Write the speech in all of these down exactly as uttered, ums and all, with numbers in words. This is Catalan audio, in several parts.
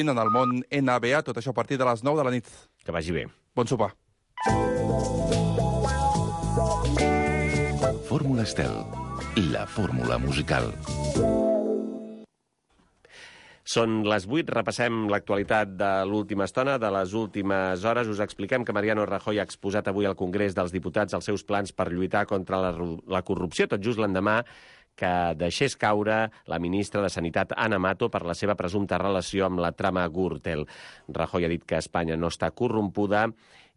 en el món N B A, tot això a partir de les nou de la nit. Que vagi bé. Bon sopar. Fórmula Estel, la fórmula musical. Són les vuit, repassem l'actualitat de l'última estona, de les últimes hores. Us expliquem que Mariano Rajoy ha exposat avui al Congrés dels Diputats els seus plans per lluitar contra la, la corrupció, tot just l'endemà que deixés caure la ministra de Sanitat, Ana Mato, per la seva presumpta relació amb la trama Gürtel. Rajoy ha dit que Espanya no està corrompuda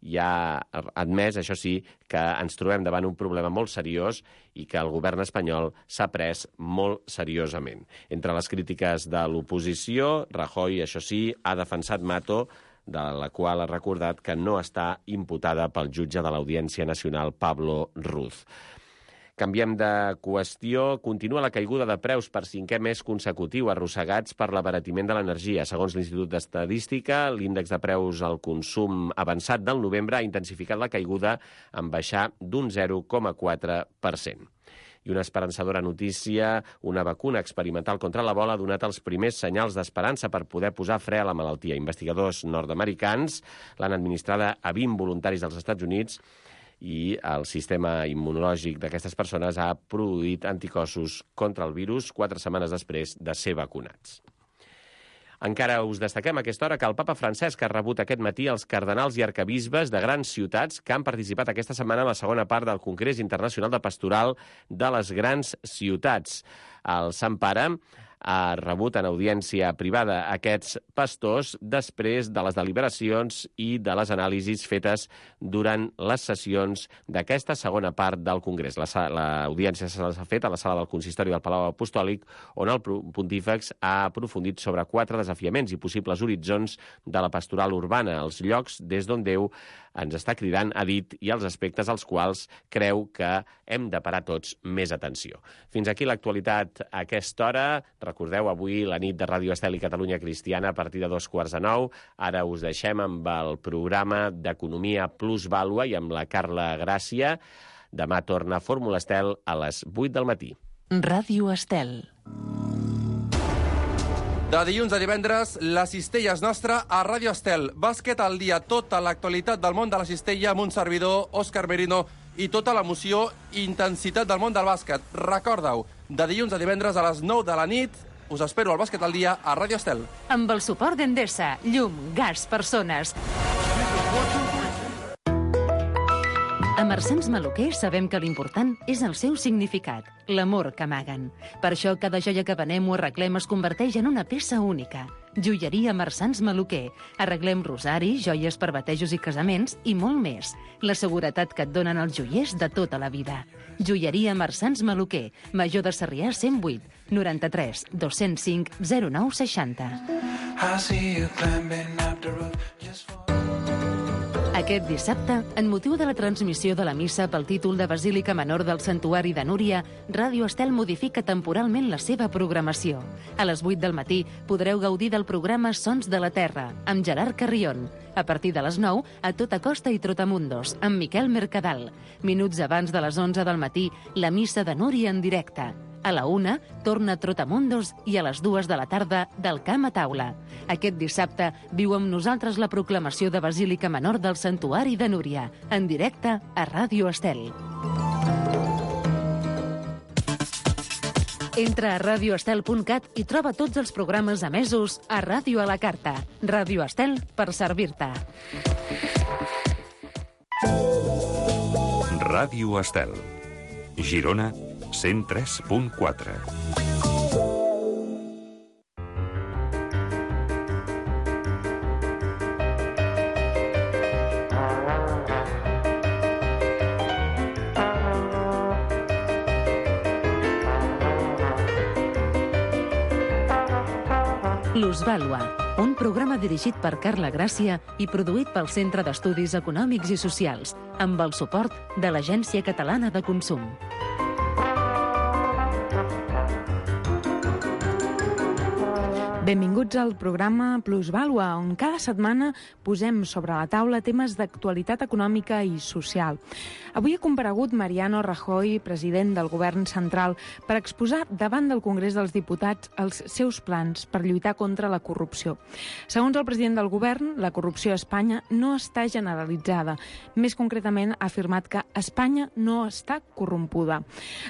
i ha admès, això sí, que ens trobem davant un problema molt seriós i que el govern espanyol s'ha pres molt seriosament. Entre les crítiques de l'oposició, Rajoy, això sí, ha defensat Mato, de la qual ha recordat que no està imputada pel jutge de l'Audiència Nacional, Pablo Ruz. Canviem de qüestió. Continua la caiguda de preus per cinquè mes consecutiu, arrossegats per l'abaratiment de l'energia. Segons l'Institut d'Estadística, l'índex de preus al consum avançat del novembre ha intensificat la caiguda en baixar d'un zero coma quatre per cent. I una esperançadora notícia, una vacuna experimental contra l'Ebola ha donat els primers senyals d'esperança per poder posar fre a la malaltia. Investigadors nord-americans l'han administrada a vint voluntaris dels Estats Units i el sistema immunològic d'aquestes persones ha produït anticossos contra el virus quatre setmanes després de ser vacunats. Encara us destaquem a aquesta hora que el papa Francesc ha rebut aquest matí els cardenals i arquebisbes de grans ciutats que han participat aquesta setmana en la segona part del Congrés Internacional de Pastoral de les Grans Ciutats. El Sant Pare ha rebut en audiència privada aquests pastors després de les deliberacions i de les anàlisis fetes durant les sessions d'aquesta segona part del Congrés. L'audiència s'ha fet a la sala del Consistori del Palau Apostòlic, on el pontífex ha aprofundit sobre quatre desafiaments i possibles horitzons de la pastoral urbana, els llocs des d'on Déu ens està cridant, ha dit, i els aspectes als quals creu que hem de parar tots més atenció. Fins aquí l'actualitat a aquesta hora. Recordeu, avui la nit de Ràdio Estel i Catalunya Cristiana a partir de dos quarts de nou. Ara us deixem amb el programa d'Economia Plus Vàlua i amb la Carla Gràcia. Demà torna Fórmula Estel a les vuit del matí. Ràdio Estel. De dilluns a divendres, la cistella és nostra a Ràdio Estel. Bàsquet al dia, tota l'actualitat del món de la cistella amb un servidor, Òscar Merino, i tota l'emoció i intensitat del món del bàsquet. Recorda-ho, de dilluns a divendres a les nou de la nit, us espero al Bàsquet al dia a Ràdio Estel. Amb el suport d'Endesa, llum, gas, persones. A Marsans Maluquer sabem que l'important és el seu significat, l'amor que amaguen. Per això cada joia que venem o arreglem es converteix en una peça única. Joieria Marsans Maluquer. Arreglem rosaris, joies per batejos i casaments i molt més. La seguretat que et donen els joiers de tota la vida. Joieria Marsans Maluquer. Major de Sarrià cent vuit, noranta-tres, dos-cents cinc, zero nou seixanta. Aquest dissabte, en motiu de la transmissió de la missa pel títol de Basílica Menor del Santuari de Núria, Ràdio Estel modifica temporalment la seva programació. A les vuit del matí podreu gaudir del programa Sons de la Terra, amb Gerard Carrion. A partir de les nou, a Tota Costa i Trotamundos, amb Miquel Mercadal. Minuts abans de les onze del matí, la missa de Núria en directe. A la una, torna Trotamundos i a les dues de la tarda, del Camp a Taula. Aquest dissabte viu amb nosaltres la proclamació de Basílica Menor del Santuari de Núria, en directe a Ràdio Estel. Entra a radio estel punt cat i troba tots els programes emesos a Ràdio a la Carta. Ràdio Estel per servir-te. Ràdio Estel. Girona, cent tres punt quatre. Plusvàlua, un programa dirigit per Carla Gràcia i produït pel Centre d'Estudis Econòmics i Socials, amb el suport de l'Agència Catalana de Consum. Benvinguts al programa Plusvàlua, on cada setmana posem sobre la taula temes d'actualitat econòmica i social. Avui ha comparegut Mariano Rajoy, president del govern central, per exposar davant del Congrés dels Diputats els seus plans per lluitar contra la corrupció. Segons el president del govern, la corrupció a Espanya no està generalitzada. Més concretament, ha afirmat que Espanya no està corrompuda.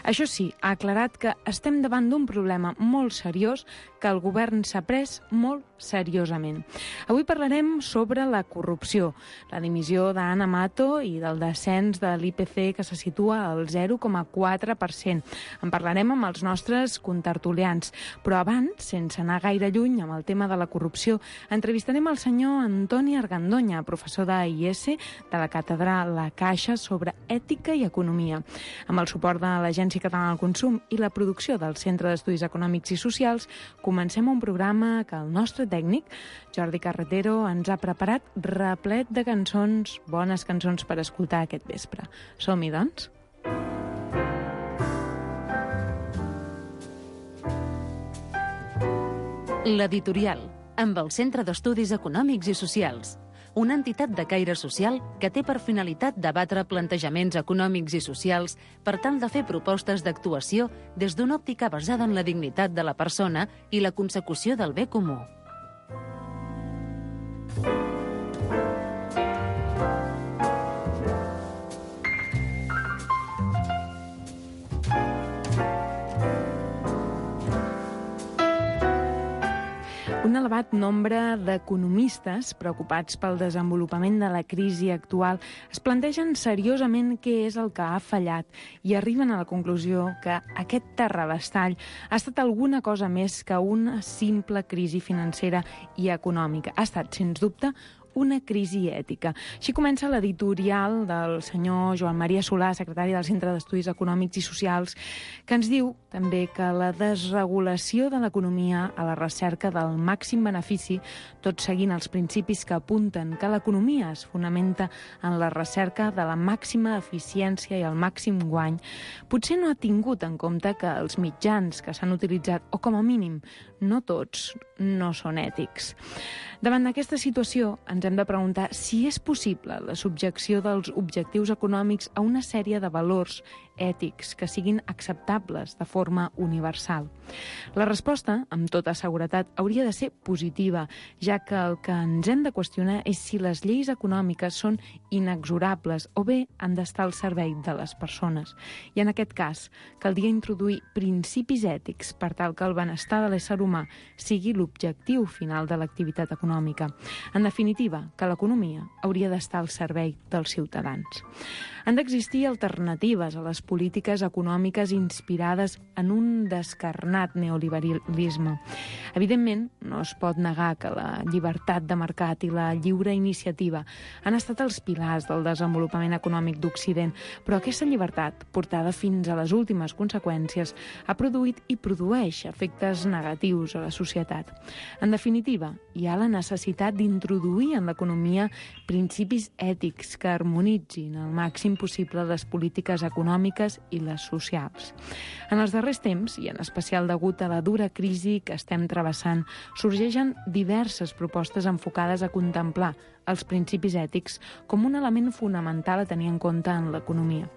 Això sí, ha aclarat que estem davant d'un problema molt seriós que el govern s'ha pres molt seriosament. Avui parlarem sobre la corrupció, la dimissió d'Ana Mato i del descens de l'I P C que se situa al zero coma quatre per cent. En parlarem amb els nostres contertulians. Però abans, sense anar gaire lluny amb el tema de la corrupció, entrevistarem el senyor Antoni Argandoña, professor de I E S de la càtedra La Caixa sobre ètica i economia. Amb el suport de l'Agència Catalana del Consum i la producció del Centre d'Estudis Econòmics i Socials, comencem un programa que el nostre tècnic, Jordi Carretero, ens ha preparat replet de cançons, bones cançons per escoltar aquest vespre. Som-hi, doncs? L'Editorial, amb el Centre d'Estudis Econòmics i Socials, una entitat de caire social que té per finalitat debatre plantejaments econòmics i socials per tal de fer propostes d'actuació des d'una òptica basada en la dignitat de la persona i la consecució del bé comú. Un elevat nombre d'economistes preocupats pel desenvolupament de la crisi actual es plantegen seriosament què és el que ha fallat i arriben a la conclusió que aquest terrabastall ha estat alguna cosa més que una simple crisi financera i econòmica. Ha estat, sens dubte, una crisi ètica. Així comença l'editorial del senyor Joan Maria Solà, secretari del Centre d'Estudis Econòmics i Socials, que ens diu també que la desregulació de l'economia a la recerca del màxim benefici, tot seguint els principis que apunten que l'economia es fonamenta en la recerca de la màxima eficiència i el màxim guany, potser no ha tingut en compte que els mitjans que s'han utilitzat, o com a mínim, no tots, no són ètics. Davant d'aquesta situació, ens hem de preguntar si és possible la subjecció dels objectius econòmics a una sèrie de valors ètics que siguin acceptables de forma universal. La resposta, amb tota seguretat, hauria de ser positiva, ja que el que ens hem de qüestionar és si les lleis econòmiques són inexorables o bé han d'estar al servei de les persones. I en aquest cas, caldria introduir principis ètics per tal que el benestar de l'ésser humà sigui l'objectiu final de l'activitat econòmica. En definitiva, que l'economia hauria d'estar al servei dels ciutadans. Han d'existir alternatives a les polítiques econòmiques inspirades en un descarnat neoliberalisme. Evidentment, no es pot negar que la llibertat de mercat i la lliure iniciativa han estat els pilars del desenvolupament econòmic d'Occident, però aquesta llibertat, portada fins a les últimes conseqüències, ha produït i produeix efectes negatius a la societat. En definitiva, hi ha la necessitat d'introduir en l'economia principis ètics que harmonitzin al màxim possible les polítiques econòmiques i les socials. En els darrers temps, i en especial degut a la dura crisi que estem travessant, sorgeixen diverses propostes enfocades a contemplar els principis ètics com un element fonamental a tenir en compte en l'economia.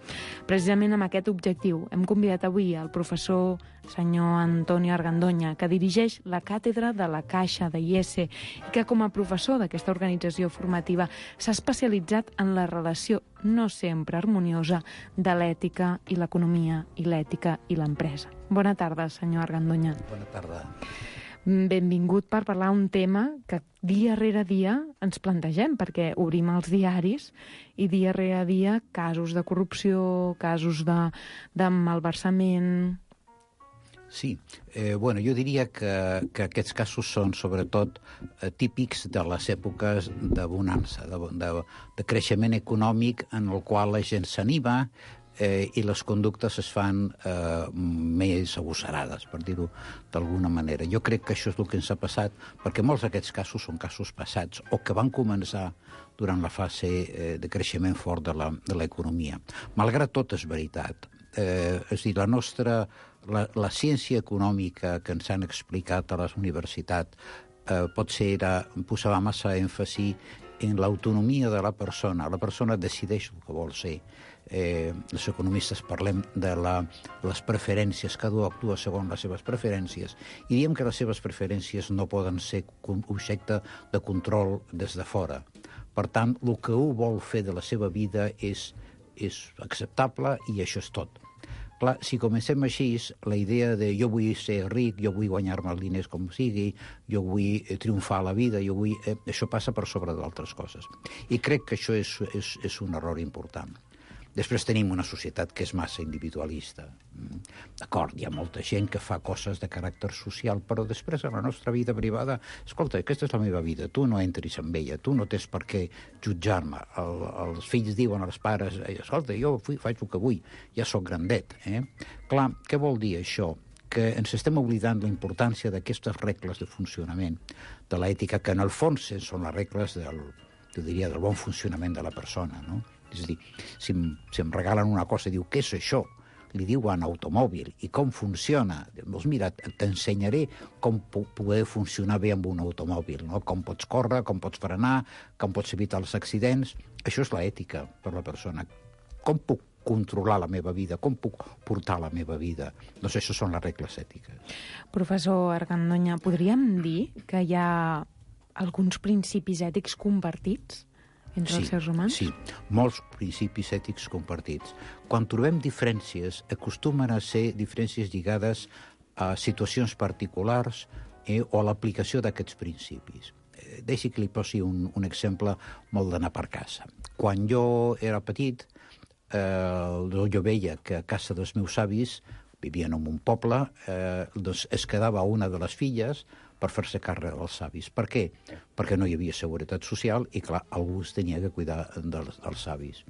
Precisament amb aquest objectiu hem convidat avui el professor senyor Antoni Argandoña, que dirigeix la càtedra de la Caixa de I E S i que com a professor d'aquesta organització formativa s'ha especialitzat en la relació no sempre harmoniosa de l'ètica i l'economia i l'ètica i l'empresa. Bona tarda, senyor Argandoña. Bona tarda. Benvingut per parlar un tema que dia rere dia ens plantegem, perquè obrim els diaris i dia rere dia casos de corrupció, casos de, de malversament. Sí, eh, bueno, jo diria que, que aquests casos són sobretot eh, típics de les èpoques de bonança, de, de, de creixement econòmic en el qual la gent s'anima, Eh, i les conductes es fan eh, més agosarades, per dir-ho d'alguna manera. Jo crec que això és el que ens ha passat, perquè molts d'aquests casos són casos passats o que van començar durant la fase eh, de creixement fort de l'economia. Malgrat tot, és veritat, Eh, és a dir, la nostra... La, la ciència econòmica que ens han explicat a les universitats eh, potser era, posava massa èmfasi en l'autonomia de la persona. La persona decideix el que vol ser. Eh, els economistes parlem de la, les preferències, cada un actua segons les seves preferències, i diem que les seves preferències no poden ser objecte de control des de fora. Per tant, el que un vol fer de la seva vida és, és acceptable i això és tot. Clar, si comencem així, la idea de jo vull ser ric, jo vull guanyar-me els diners com sigui, jo vull triomfar a la vida, jo vull... Eh, això passa per sobre d'altres coses. I crec que això és, és, és un error important. Després tenim una societat que és massa individualista. D'acord, hi ha molta gent que fa coses de caràcter social, però després a la nostra vida privada, escolta, aquesta és la meva vida, tu no entris en ella, tu no tens per què jutjar-me. El, els fills diuen als pares, escolta, jo faig el que vull, ja sóc grandet. Eh? Clar, què vol dir això? Que ens estem oblidant la importància d'aquestes regles de funcionament de l'ètica, que en el fons són les regles del, jo diria, del bon funcionament de la persona, no? És a dir, si em, si em regalen una cosa i diu, què és això? Li diuen automòbil. I com funciona? Doncs mira, t'ensenyaré com poder funcionar bé amb un automòbil, no? Com pots córrer, com pots frenar, com pots evitar els accidents. Això és l'ètica per la persona. Com puc controlar la meva vida? Com puc portar la meva vida? Doncs això són les regles ètiques. Professor Argandoña, podríem dir que hi ha alguns principis ètics compartits entre sí, els seres humans? Sí, molts principis ètics compartits. Quan trobem diferències, acostumen a ser diferències lligades a situacions particulars eh, o a l'aplicació d'aquests principis. Eh, deixi que li posi un, un exemple molt d'anar per casa. Quan jo era petit, eh, jo veia que a casa dels meus avis, vivien en un poble, eh, doncs es quedava una de les filles per fer-se càrrec dels avis. Per què? Perquè no hi havia seguretat social i, clar, algú es tenia que cuidar dels, dels avis.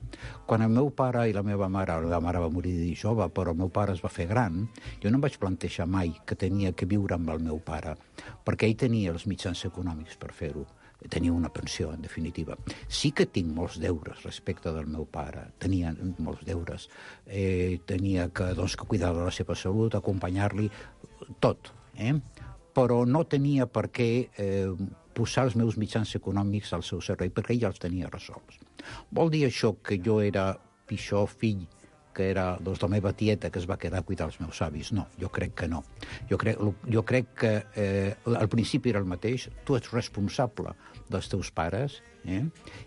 Quan el meu pare i la meva mare, la meva mare va morir de jove, però el meu pare es va fer gran, jo no em vaig plantejar mai que tenia que viure amb el meu pare, perquè ell tenia els mitjans econòmics per fer-ho. Tenia una pensió, en definitiva. Sí que tinc molts deures respecte del meu pare. Tenia molts deures. Eh, tenia que, doncs, que cuidar de la seva salut, acompanyar-li, tot, eh? Però no tenia per què eh, posar els meus mitjans econòmics al seu servei, perquè ell ja els tenia resolts. Vol dir això que jo era pitjor fill que era doncs, la meva tieta que es va quedar a cuidar els meus avis? No, jo crec que no. Jo crec, jo crec que eh, al principi era el mateix, tu ets responsable dels teus pares, eh?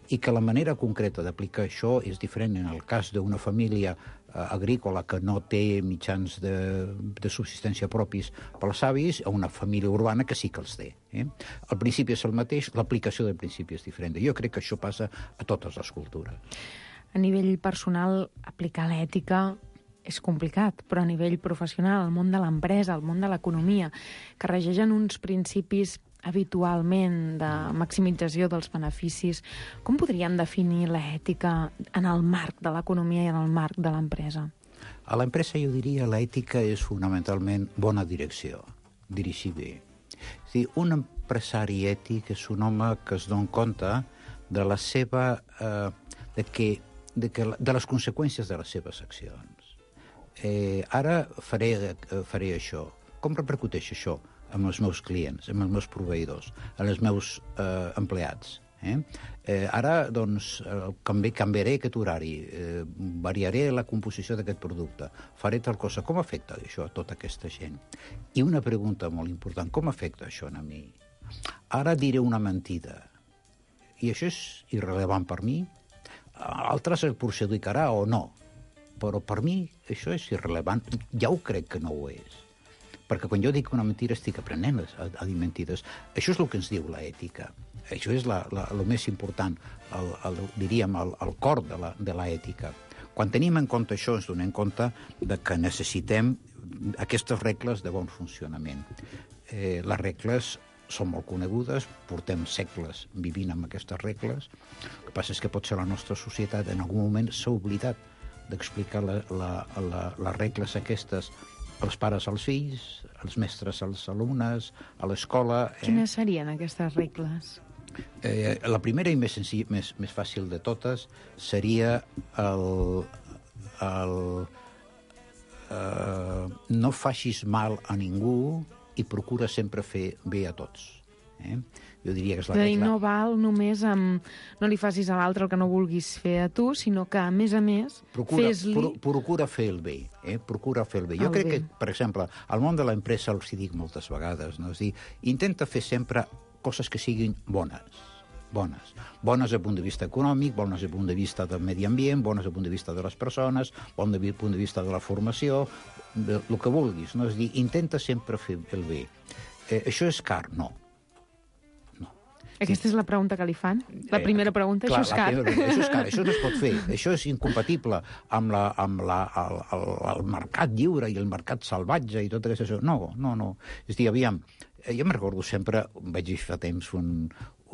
I que la manera concreta d'aplicar això és diferent en el cas d'una família eh, agrícola que no té mitjans de, de subsistència propis pels avis, a una família urbana que sí que els té. Eh? El principi és el mateix, l'aplicació del principi és diferent. Jo crec que això passa a totes les cultures. A nivell personal, aplicar l'ètica és complicat, però a nivell professional, el món de l'empresa, el món de l'economia, que regeixen uns principis habitualment de maximització dels beneficis, com podríem definir l'ètica en el marc de l'economia i en el marc de l'empresa? A l'empresa jo diria l'ètica és fonamentalment bona direcció, dirigir bé. És dir, un empresari ètic és un home que es dona compte de la seva... Eh, de que De, que, de les conseqüències de les seves accions. Eh, ara faré, faré això. Com repercuteix això amb els meus clients, amb els meus proveïdors, amb els meus eh, empleats? Eh? Eh, ara, doncs, canvi, canviaré aquest horari, eh, variaré la composició d'aquest producte, faré tal cosa. Com afecta això a tota aquesta gent? I una pregunta molt important, com afecta això a mi? Ara diré una mentida, i això és irrellevant per mi? Altres el perjudicarà o no, però per mi això és irrellevant. Ja ho crec que no ho és. Perquè quan jo dic una mentida estic aprenent a, a dir mentides. Això és el que ens diu l'ètica. Això és la, la, el més important, el, el, diríem, el, el cor de la, de l'ètica. Quan tenim en compte això, ens donem compte de que necessitem aquestes regles de bon funcionament. Eh, les regles són molt conegudes, portem segles vivint amb aquestes regles. El que passa és que potser la nostra societat en algun moment s'ha oblidat d'explicar la, la, la, les regles aquestes als pares als fills, als mestres als alumnes, a l'escola... Eh? Quines serien aquestes regles? Eh, la primera i més, senzill, més, més fàcil de totes seria el, el, eh, no facis mal a ningú i procura sempre fer bé a tots. Eh? Jo diria que és la és a dir, regla. no val només amb... No li facis a l'altre el que no vulguis fer a tu, sinó que, a més a més, Procura, fes-li... pro, procura fer el bé, eh? procura fer el bé. Jo El crec bé. que, per exemple, al món de l'empresa els hi dic moltes vegades, no? És dir, intenta fer sempre coses que siguin bones, bones. Bones des del punt de vista econòmic, bones des del punt de vista del medi ambient, bones des del punt de vista de les persones, bones des del punt de vista de la formació, de, el que vulguis, no? És dir, intenta sempre fer el bé. Eh, això és car? No. Aquesta és la pregunta que li fan? La primera pregunta, Clar, això és car. la primera, això és car, això no es pot fer. Això és incompatible amb, la, amb la, el, el, el mercat lliure i el mercat salvatge i tot això. No, no, no. És a dir, aviam, jo me'n recordo sempre, vaig dir fa temps, un,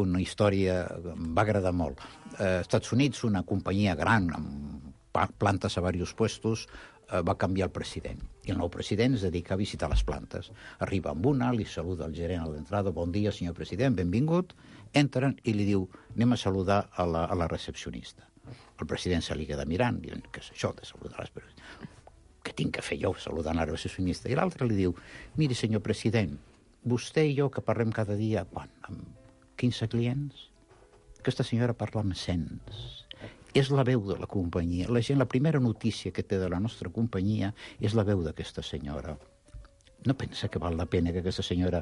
una història que em va agradar molt. Eh, Estats Units, una companyia gran, amb plantes a diversos puestos, va canviar el president. I el nou president es dedica a visitar les plantes. Arriba amb una, li saluda el gerent a l'entrada, bon dia, senyor president, benvingut. Entren i li diu, anem a saludar a la, a la recepcionista. El president se li queda mirant, diu, què és això de saludar les persones? Què tinc que fer jo saludant la recepcionista? I l'altre li diu, miri, senyor president, vostè i jo que parlem cada dia, quan, amb quinze clients? Aquesta senyora parla amb cents. És la veu de la companyia. La gent, la primera notícia que té de la nostra companyia és la veu d'aquesta senyora. No pensa que val la pena que aquesta senyora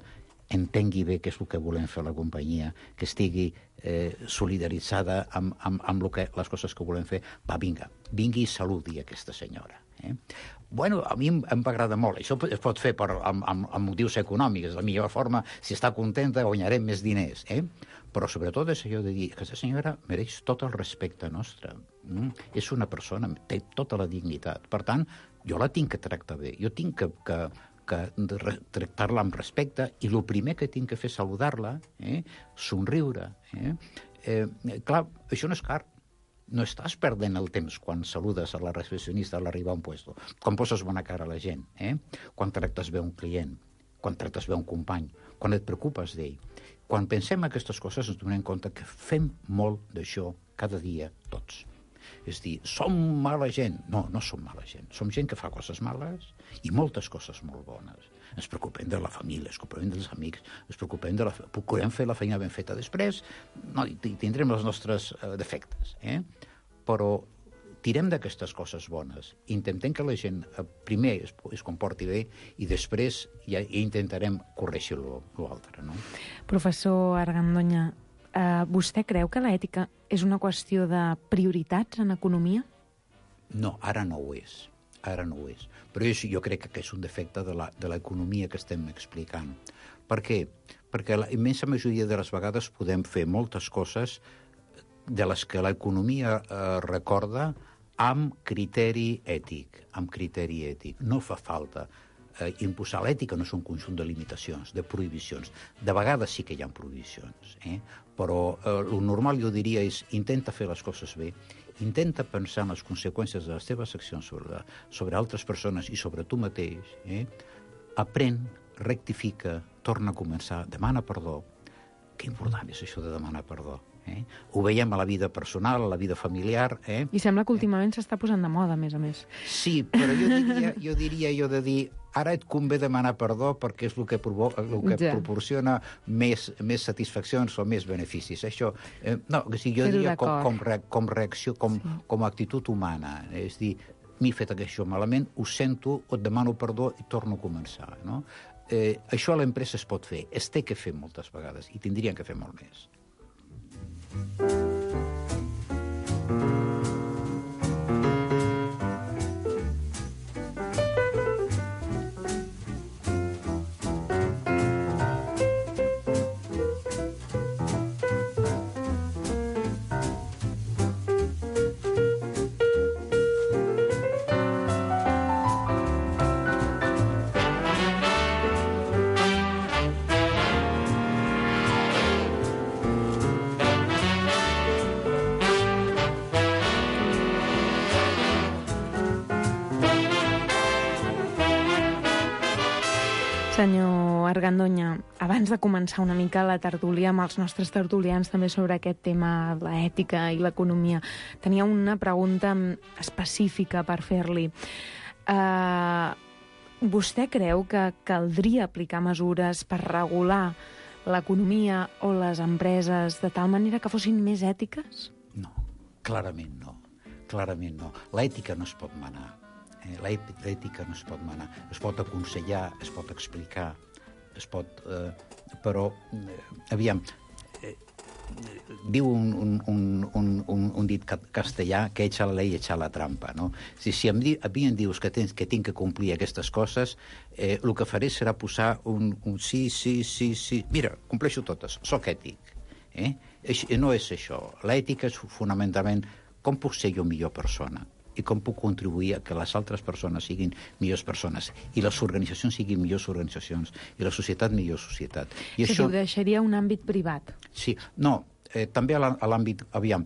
entengui bé què és el que volem fer a la companyia, que estigui eh, solidaritzada amb, amb, amb lo que, les coses que volem fer? Va, vinga, vingui i saludi aquesta senyora. Eh? Bueno, a mi em, em va agradar molt. Això es pot fer per, amb, amb, amb motius econòmics. La millor forma, si està contenta, guanyarem més diners. Eh? Però sobretot és allò de dir que aquesta senyora mereix tot el respecte nostre. Mm? És una persona, té tota la dignitat. Per tant, jo la tinc que tractar bé. Jo tinc que, que, que tractar-la amb respecte i el primer que tinc que fer és saludar-la, eh? somriure. Eh? Eh, clar, això no és car. No estàs perdent el temps quan saludes a la recepcionista a l'arribar a un puesto, quan poses bona cara a la gent, eh? quan tractes bé un client, quan tractes bé un company, quan et preocupes d'ell. Quan pensem en aquestes coses ens donem compte que fem molt d'això cada dia tots. És dir, som mala gent. No, no som mala gent. Som gent que fa coses males i moltes coses molt bones. Ens preocupem de la família, ens preocupem dels amics, ens preocupem de la... procurem fer la feina ben feta. Després no, tindrem els nostres uh, defectes, eh? Però tirem d'aquestes coses bones. Intentem que la gent uh, primer es, es comporti bé i després ja, ja intentarem corregir l'altre, no? Professor Argandoña, Uh, vostè creu que l'ètica és una qüestió de prioritats en economia? No, ara no ho és. Ara no ho és. Però jo, jo crec que és un defecte de l'economia que estem explicant. Per què? Perquè la immensa majoria de les vegades podem fer moltes coses de les que l'economia eh, recorda amb criteri ètic. Amb criteri ètic. No fa falta. Eh, imposar l'ètica no és un conjunt de limitacions, de prohibicions. De vegades sí que hi ha prohibicions, eh? Però eh, el normal, jo diria, és intenta fer les coses bé, intenta pensar en les conseqüències de les teves accions sobre, sobre altres persones i sobre tu mateix, eh? Aprèn, rectifica, torna a començar, demana perdó. Que important és això de demanar perdó. Eh? Ho veiem a la vida personal, a la vida familiar. Eh? I sembla que últimament s'està posant de moda, a més a més. Sí, però jo diria, jo diria jo de dir ara et convé demanar perdó perquè és el que, provo el que ja. proporciona més, més satisfaccions o més beneficis. Això, eh, no, o sigui, jo Però diria com, com, re, com reacció, com, sí. com a actitud humana. És dir, m'he fet això malament, ho sento, et demano perdó i torno a començar. No? Eh, això a l'empresa es pot fer, es té que fer moltes vegades i tindrien que fer molt més. Senyor Argandoña, abans de començar una mica la tertúlia amb els nostres tertulians també sobre aquest tema, l'ètica i l'economia, tenia una pregunta específica per fer-li. Uh, vostè creu que caldria aplicar mesures per regular l'economia o les empreses de tal manera que fossin més ètiques? No, clarament no. Clarament no. L'ètica no es pot manar. Eh? L'ètica no es pot manar. Es pot aconsellar, es pot explicar, es pot... Eh, però, eh, aviam, eh, diu un, un, un, un, un dit castellà que echa la ley, echa la trampa, no? Si, si em di, a mi em dius que, tens, que tinc que complir aquestes coses, eh, el que faré serà posar un, un sí, sí, sí, sí... Mira, compleixo totes, soc ètic. Eh? No és això. L'ètica és fonamentalment com puc ser jo millor persona i com puc contribuir a que les altres persones siguin millors persones i les organitzacions siguin millors organitzacions i la societat millor societat. I o sigui, això... ho deixaria un àmbit privat. Sí, no, eh, també a l'àmbit... Aviam,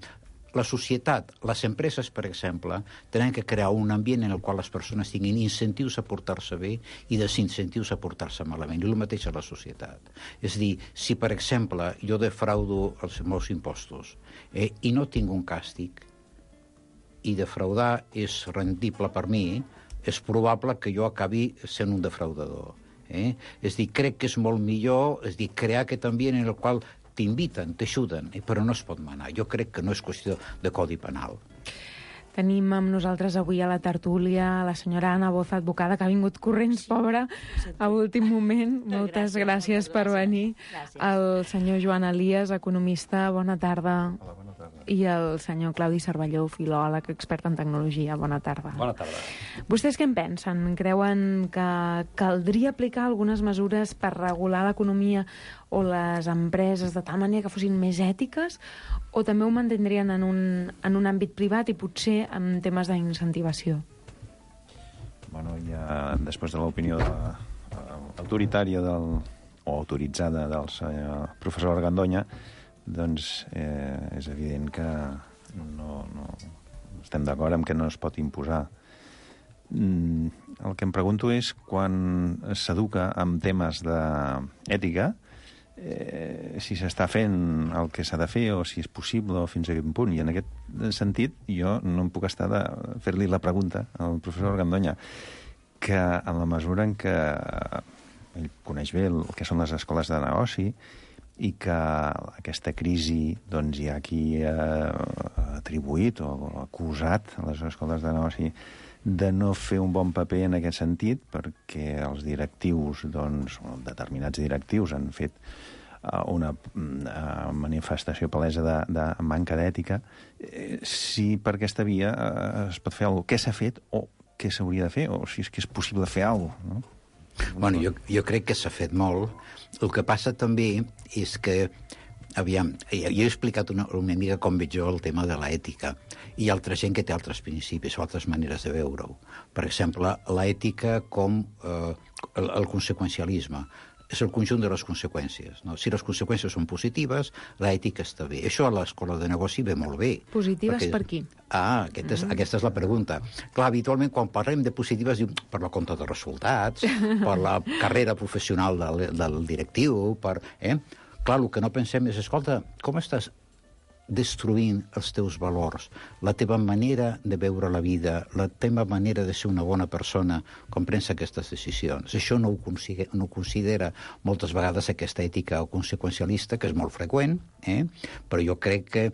la societat, les empreses, per exemple, tenen que crear un ambient en el qual les persones tinguin incentius a portar-se bé i desincentius a portar-se malament. I el mateix a la societat. És a dir, si, per exemple, jo defraudo els meus impostos eh, i no tinc un càstig, i defraudar és rendible per mi, és probable que jo acabi sent un defraudador. Eh? És a dir, crec que és molt millor és dir, crear aquest ambient en el qual t'inviten, t'ajuden, eh? Però no es pot manar. Jo crec que no és qüestió de codi penal. Tenim amb nosaltres avui a la tertúlia la senyora Anna Boza, advocada, que ha vingut corrents, pobra, a últim moment. Moltes gràcies, gràcies per venir. Gràcies. El senyor Joan Elias, economista, bona tarda. Hola, bona tarda. I el senyor Claudi Cervelló, filòleg, expert en tecnologia. Bona tarda. Bona tarda. Vostès què en pensen? Creuen que caldria aplicar algunes mesures per regular l'economia o les empreses de tal manera que fossin més ètiques, o també ho mantindrien en un, en un àmbit privat i potser en temes d'incentivació? Bueno, ja després de l'opinió de, uh, autoritària del, o autoritzada del senyor professor Argandoña, doncs eh, és evident que no, no estem d'acord amb que no es pot imposar. Mm, el que em pregunto és quan s'educa en temes d'ètica, eh, si s'està fent el que s'ha de fer o si és possible o fins a quin punt. I en aquest sentit jo no em puc estar de fer-li la pregunta al professor Argandoña, que en la mesura en què ell coneix bé el que són les escoles de negoci i que aquesta crisi doncs, hi ha qui ha atribuït o acusat a les escoles de negoci de no fer un bon paper en aquest sentit, perquè els directius, doncs, determinats directius han fet una manifestació palesa de, de manca d'ètica. Si per aquesta via es pot fer alguna cosa, què s'ha fet o què s'hauria de fer, o si és que és possible fer alguna cosa, no? Bueno, jo, jo crec que s'ha fet molt. El que passa també és que, aviam, jo he explicat una, una mica com veig jo el tema de l'ètica. Hi ha altra gent que té altres principis o altres maneres de veure-ho. Per exemple, l'ètica com eh, el, el conseqüencialisme. És el conjunt de les conseqüències. No? Si les conseqüències són positives, l'ètica està bé. Això a l'escola de negoci ve molt bé. Positives perquè... per qui? Ah, aquest és, mm. aquesta és la pregunta. Clar, habitualment, quan parlem de positives, diu per la compta de resultats, per la carrera professional del, del directiu, per... Eh? Clar, el que no pensem és, escolta, com estàs destruint els teus valors, la teva manera de veure la vida, la teva manera de ser una bona persona com prens aquestes decisions. Això no ho, consigue, no ho considera moltes vegades aquesta ètica conseqüencialista, que és molt freqüent, eh? Però jo crec que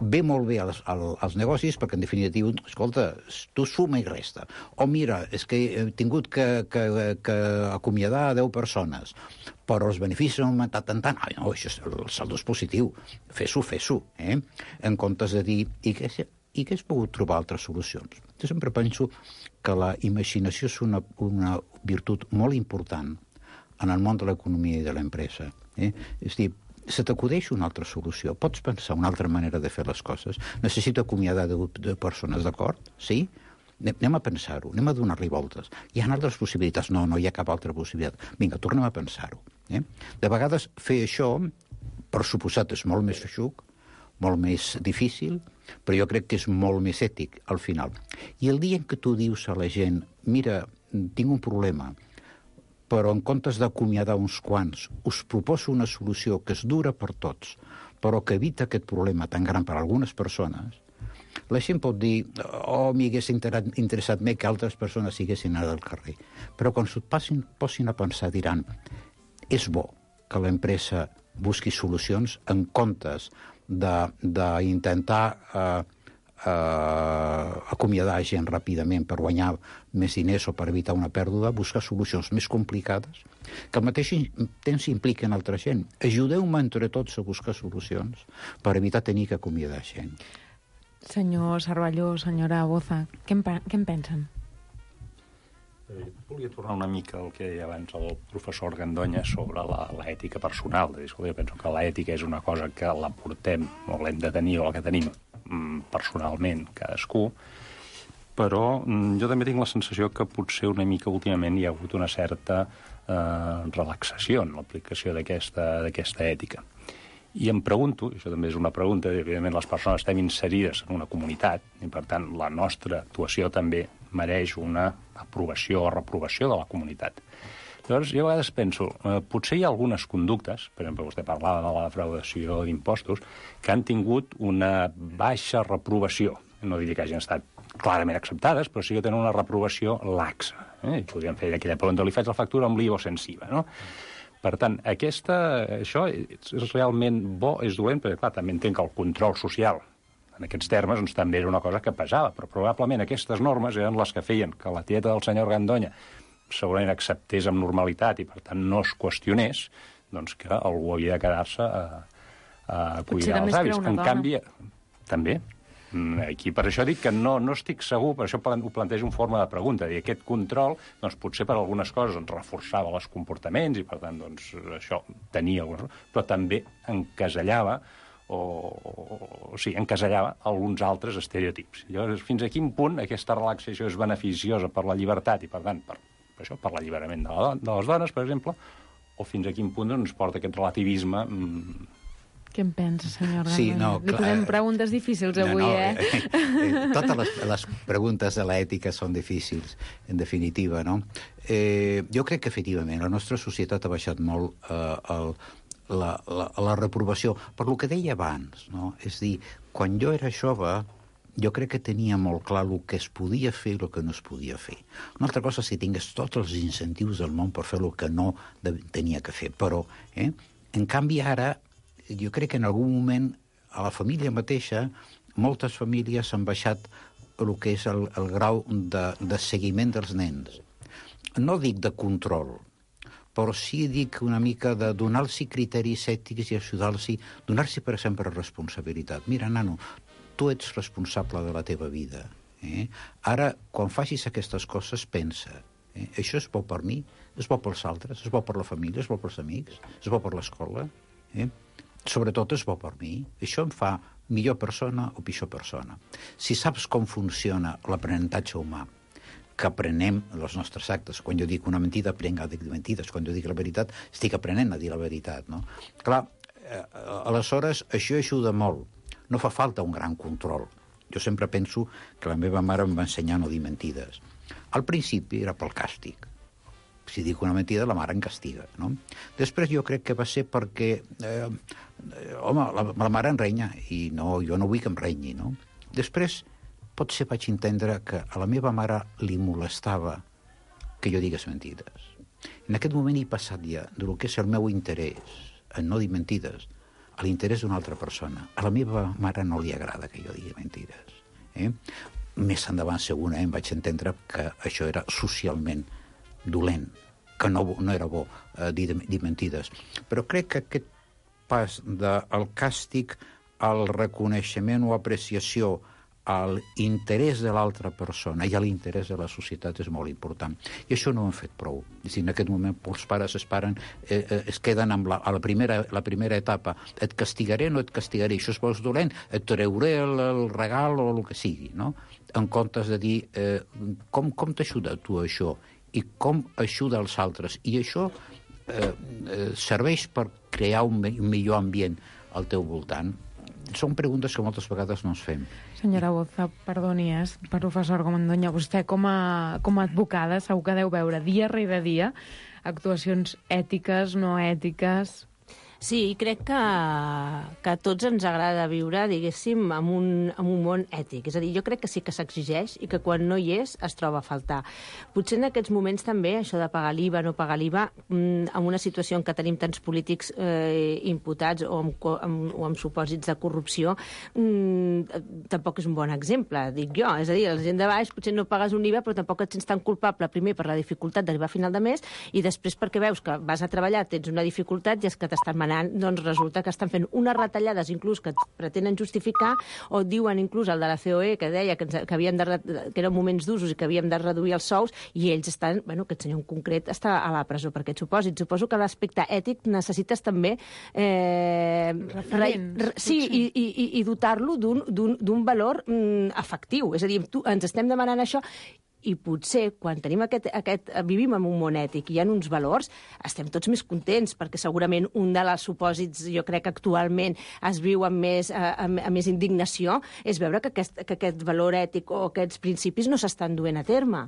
ve molt bé als, als negocis perquè, en definitiva, escolta, tu suma i resta. O mira, és que he tingut que, que, que acomiadar deu persones, però els beneficis han augmentat tant, tant. Ai, no, això és, el saldo és positiu. Fes-ho, fes-ho, eh? En comptes de dir, i que, i que has pogut trobar altres solucions? Jo sempre penso que la imaginació és una, una virtut molt important en el món de l'economia i de l'empresa. Eh? És a dir, se t'acudeix una altra solució. Pots pensar una altra manera de fer les coses. Necessito acomiadar de, de persones, d'acord? Sí? Anem a pensar-ho, anem a donar-li voltes. Hi ha altres possibilitats? No, no hi ha cap altra possibilitat. Vinga, tornem a pensar-ho. Eh? De vegades fer això, per suposat, és molt més feixuc, molt més difícil, però jo crec que és molt més ètic al final. I el dia en què tu dius a la gent, mira, tinc un problema, però en comptes d'acomiadar uns quants, us proposo una solució que és dura per tots, però que evita aquest problema tan gran per a algunes persones, La gent pot dir, oh, m'hagués interessat més que altres persones siguessin anat al carrer. Però quan s'ho passin, posin a pensar, diran, és bo que l'empresa busqui solucions en comptes d'intentar eh, eh, acomiadar gent ràpidament per guanyar més diners o per evitar una pèrdua, buscar solucions més complicades que al mateix temps impliquen altra gent. Ajudeu-me entre tots a buscar solucions per evitar tenir que acomiadar gent. Senyor Cervelló, senyora Boza, què en, què en pensen? Volia tornar una mica al que deia abans el professor Gandonya sobre l'ètica personal. Jo penso que l'ètica és una cosa que la portem o l'hem de tenir o la que tenim personalment cadascú, però jo també tinc la sensació que potser una mica últimament hi ha hagut una certa eh, relaxació en l'aplicació d'aquesta d'aquesta ètica. I em pregunto, i això també és una pregunta, evidentment les persones estem inserides en una comunitat i per tant la nostra actuació també mereix una aprovació o reprovació de la comunitat. Llavors, jo a vegades penso, eh, potser hi ha algunes conductes, per exemple, vostè parlava de la defraudació d'impostos, que han tingut una baixa reprovació. No diria que hagin estat clarament acceptades, però sí que tenen una reprovació laxa. Eh? I podríem fer aquella pregunta, li faig la factura amb l'I V A o sense I V A, no? Per tant, aquesta, això és realment bo, és dolent, perquè, clar, també entenc que el control social en aquests termes doncs, també era una cosa que pesava, però probablement aquestes normes eren les que feien que la tieta del senyor Gandonya segurament acceptés amb normalitat i, per tant, no es qüestionés, doncs que algú havia de quedar-se a, a cuidar els avis. En canvi, també, aquí per això dic que no, no estic segur, per això ho plantejo en forma de pregunta, dir, aquest control, doncs potser per algunes coses doncs, reforçava els comportaments i, per tant, doncs, això tenia algunes... però també encasellava o, o sí, encasellava alguns altres estereotips. Llavors, fins a quin punt aquesta relaxació és beneficiosa per la llibertat i, per tant, per, per això, per l'alliberament de, la, de les dones, per exemple, o fins a quin punt ens porta aquest relativisme... Mmm... Què en pensa, senyor Gandonya? Sí, no, Li posem preguntes difícils avui, no, no, eh? eh, eh totes les, les preguntes de l'ètica són difícils, en definitiva, no? Eh, jo crec que, efectivament, la nostra societat ha baixat molt eh, el, la, la, la reprovació. Per lo que deia abans, no? És dir, quan jo era jove, jo crec que tenia molt clar el que es podia fer i el que no es podia fer. Una altra cosa és que tingués tots els incentius del món per fer el que no tenia que fer, però, eh? En canvi, ara, jo crec que en algun moment a la família mateixa moltes famílies han baixat el que és el, el grau de, de seguiment dels nens. No dic de control, però sí dic una mica de donar-los criteris ètics i ajudar-los, donar-los, per exemple, responsabilitat. Mira, nano, tu ets responsable de la teva vida. Eh? Ara, quan facis aquestes coses, pensa, eh? Això és bo per mi, és bo pels altres, és bo per la família, és bo pels amics, és bo per l'escola, eh? Sobretot és bo per mi. Això em fa millor persona o pitjor persona. Si saps com funciona l'aprenentatge humà, que aprenem els nostres actes. Quan jo dic una mentida, aprenc a dir mentides. Quan jo dic la veritat, estic aprenent a dir la veritat. No? Clar, eh, aleshores, això ajuda molt. No fa falta un gran control. Jo sempre penso que la meva mare em va ensenyar a no dir mentides. Al principi era pel càstig. Si dic una mentida, la mare em castiga, no? Després jo crec que va ser perquè, eh, home, la, la mare em renya, i no, jo no vull que em renyi, no? Després, potser vaig entendre que a la meva mare li molestava que jo digués mentides. En aquest moment he passat ja del que és el meu interès en no dir mentides a l'interès d'una altra persona. A la meva mare no li agrada que jo digui mentides. Eh? Més endavant, segurament, vaig entendre que això era socialment dolent, que no, no era bo eh, dir, dir mentides. Però crec que aquest pas del càstig al reconeixement o apreciació a l'interès de l'altra persona i a l'interès de la societat és molt important. I això no ho hem fet prou. És dir, en aquest moment els pares es, paren, eh, eh, es queden amb la, a la primera, la primera etapa. Et castigaré o no et castigaré? Això és vols dolent? Et trauré el, el regal o el que sigui, no? En comptes de dir eh, com, com t'ajuda tu això? I com ajuda els altres. I això eh, eh, serveix per crear un, un millor ambient al teu voltant. Són preguntes que moltes vegades no ens fem. Senyora Boza, perdoni, eh, professor Gandonya, vostè com a, com a advocada segur que deu veure dia rere dia actuacions ètiques, no ètiques... Sí, crec que, que a tots ens agrada viure, diguéssim, en un, en un món ètic. És a dir, jo crec que sí que s'exigeix i que quan no hi és es troba a faltar. Potser en aquests moments també, això de pagar l'I V A, no pagar l'I V A, en una situació en què tenim tants polítics eh, imputats o amb, amb, o amb supòsits de corrupció, mmm, tampoc és un bon exemple, dic jo. És a dir, la gent de baix potser no pagues un I V A, però tampoc et sents tan culpable, primer per la dificultat d'arribar a final de mes i després perquè veus que vas a treballar, tens una dificultat i és que t'estan manant, doncs resulta que estan fent unes retallades inclús que pretenen justificar o diuen inclús el de la C O E que deia que, ens, que, havíem de, que eren moments d'usos i que havíem de reduir els sous i ells estan, bueno, aquest senyor en concret està a la presó per aquest supòsit. Suposo que l'aspecte ètic necessites també eh, Referent, re, sí, i, i, i dotar-lo d'un valor mm, efectiu. És a dir, tu, ens estem demanant això i potser quan tenim aquest, aquest, vivim en un món ètic i hi ha uns valors, estem tots més contents, perquè segurament un dels supòsits, jo crec que actualment es viu amb més, amb, amb més indignació, és veure que aquest, que aquest valor ètic o aquests principis no s'estan duent a terme.